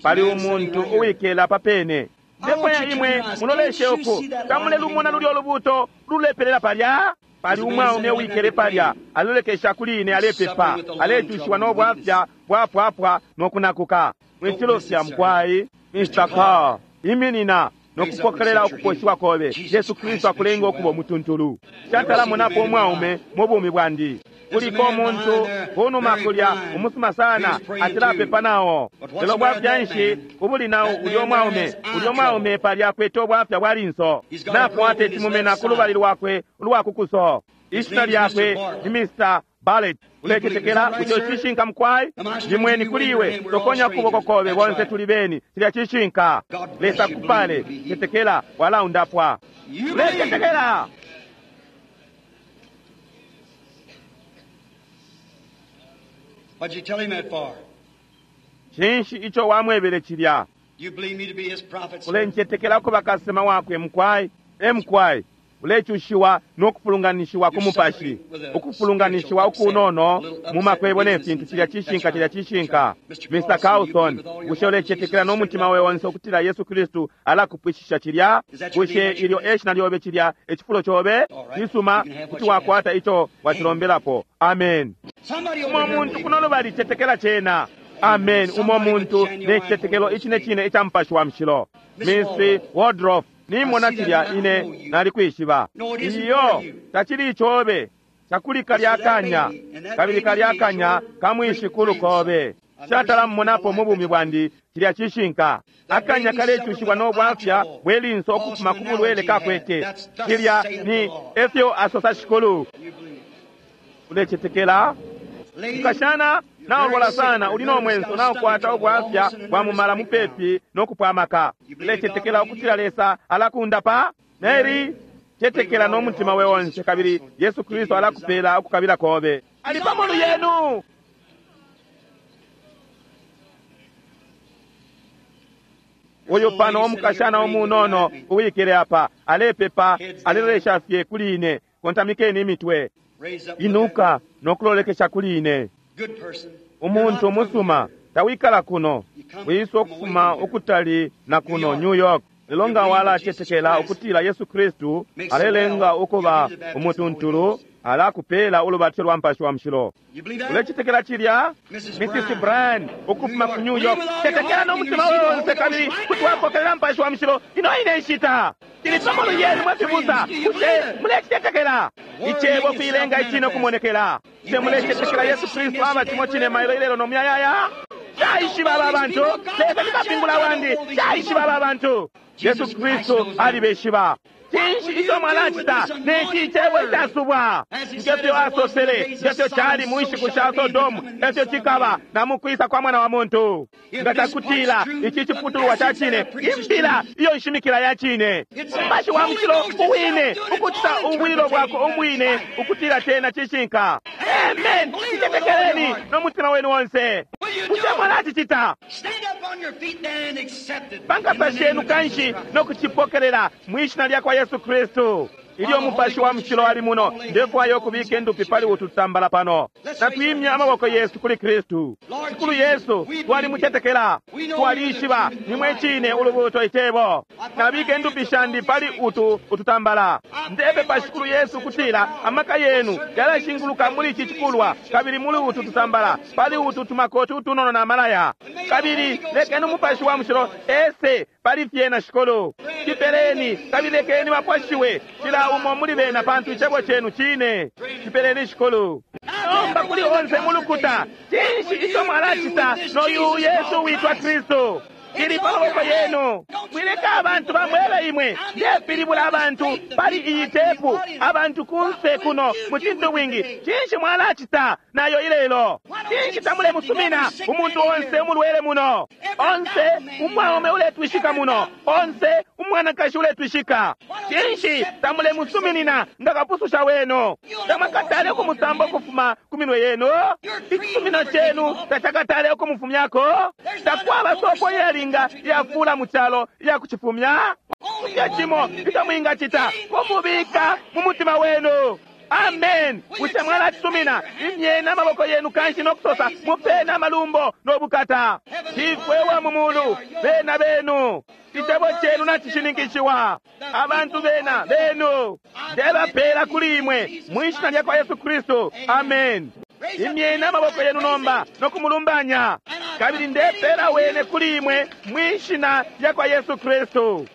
Pali umuntu uwikela papene. Ndefwaya imwe muloleshe uku tamulelumona lulyo lubuto lulepelela palya. Pali umwaume uwikele palya alolekesha kuli ine alepepa, alecushiwa no bwafya bwapwapwa no kunakuka. Mwicilofya mukwai. Mister Carr, iminina nokupokelela ukuposhiwa kobe. Yesu Kristu akulenga okuba omutuntulu. Shatalamonapo umwaume mu bumi bwandi. Kuliko omuntu kunuma kulya umusuma sana atilapepa nawo. Lelo bwafya nshi ubuli nawo ulya omwaume? Ulya omwaume palya akwete obwafya bwa linso. Nakwata ecimumena ku lubali lwakwe ulwakukuso. Ishina lyakwe ni Mister Barrett. Uletetekela ico cishinka mukwai? Ndimweni kuli iwe, tokonya kuboko kobe, bonse tuli beni. Cilya cishinka. Lesa kupale, tetekela walaundapwa. Uletetekela. What'd you tell him that for? Cinshi ico wamwebele cilya? You believe me to be his prophet, sir? Ulencetekela kuba kasema wakwe mukwai? E mukwai. Ulecushiwa nokufulunganishiwa ku mupashi, ukufulunganishiwa ukunono mu makwebo ne fintu. Cilya cishinka, cilya cishinka. Mister Carlson, bushe ulecetekela n'omutima we onse okutila Yesu Kristu alakupwishisha cilya? Bushe ilyo eshina lyobe cilya ecifulo cobe? Cisuma, kuti wakwata ico wacilombelapo. Amen. Umo muntu kuno lubali cetekela cena. Amen. Umo muntu ne citetekelo icine cine ica mupashi wa mushilo. Miss Waldrop, nimona cilya ine nalikwishiba. Iyo tacili icobe cakuli kalya kanya, kabili kalya kanya kamwishikulu kobe. Shatalamumonapo mu bumi bwandi. Cilya cishinka. Akanya kalecushiwa n'obwafya bwe linso okufuma ku bulwele kakwete. Cilya ni efyo asosa Shikulu. Ulecetekela? Mukashana naolwala sana, uli n'omwenso, naokwata obwafya bwa mumala mupepi n'okupwamaka. Ulecetekela okutila Lesa alakundapa? Mary, cetekela n'omutima we onse, kabili Yesu Kristu alakupela okukabila kobe. Ali pamolu yenu. Uyu pano omukashana omunono uwikele apa alepepa, alelolesha fye kuli ine. Kontamikeni imitwe. Inuka nokulolekesha kuli ine. Umuntu umusuma tawikala kuno, wisa okufuma ukutali na kuno New York. Lelo nga walacetekela ukutila Yesu Kristu alelenga ukuba umutuntulu, alakupela ulubatso lwa mpashi wa mushilo. Ulecetekela cilya? Missus Bryan ukufuma ku New York, cetekela n'omutima we onse, kabili kuti wapokelela mpashi wa mushilo ino ine nshita. Cili pamolu yenu mwe fibusa. Bushe mulecetekela? Icebo kuilenga icine okumonekela. Bushe mulecetekela Yesu Kristu aba cimo cine mailo ilelo no muyayaya? Caishiba aba bantu. Lesa ni kapingula wandi. Caishiba aba bantu. Yesu Kristu alibeshiba. Cinshi ico mwalacita neci icebo icasubwa? Ngefyo asosele, ngefyo cali mu nshiku sha Sodomu, efyo cikaba na mu kwisa kwa Mwana wa Muntu. Nga cakutila ici ciputulwa ca cine, imbila iyo nshimikila ya cine, Mupashi wa Mushilo uwine ukucita ubwililo bwakwe umwine ukutila cena cishinka. Amen. Icetekeleni no mutima wenu onse. Bushe mwalacicita? Pankasa shenu kanshi no kucipokelela mwishina lya kwa Yesu Kristu. Ilyo Mupashi wa Mushilo ali muno, ndefwaya okubika endupi pali ututambala pano. Natwimya amaboko yesu kuli Kristu. Shikulu Yesu, twalimucetekela, twalishiba nimwe cine ulubuto icebo. Nabika endupi shandi pali utu ututambala. Ndepepa Shikulu Yesu kutila amaka yenu yalashinguluka muli ici cikulwa, kabili muli utu tutambala, pali utu tumakoti utunono na malaya. Kabili lekeni Umupashi wa Mushilo ese pali fyena Shikulu. Cipeleni, kabili lekeni bapwashiwe cila umo muli bena, pantu icebo cenu cine. Cipeleni Shikulu. Nomba kuli onse mulukuta, cinshi ico mwalacita noyu Yesu witwa Kristu? Cili pa maboko yenu. Mwileka abantu bamwebe imwe. Ndepilibula abantu pali iyi tepu, abantu kunse kuno mu cintu bwingi. Cinshi mwalacita nayo ilelo? Cinshi tamulemusumina umuntu onse umulwele muno, onse umwaume uletwishika muno, onse umwanakashi uletwishika? Cinshi tamulemusuminina nga kapususha wenu? Tamwakatale ukumusamba ukufuma ku minwe yenu? Icisumino cenu tacakatale ukumufumyako? Takwaba sopo iyalinga iyafula mu calo iyakucifumya? Kulya cimo ico mwingacita kumubika mu mutima wenu. Amen. Bushe mwalacisumina? Imyeni amaboko yenu kanshi nokusosa, mupeni amalumbo nobukata. Shifwe wa mu mulu, bena benu. Icebo cenu nacishininkishiwa. Abantu bena benu ndebapela kuli imwe mwishina lya kwa Yesu Kristu. Amen. Imyeni amaboko yenu nomba no kumulumbanya, kabili ndepela wene kuli imwe mwishina lya kwa Yesu Kristu.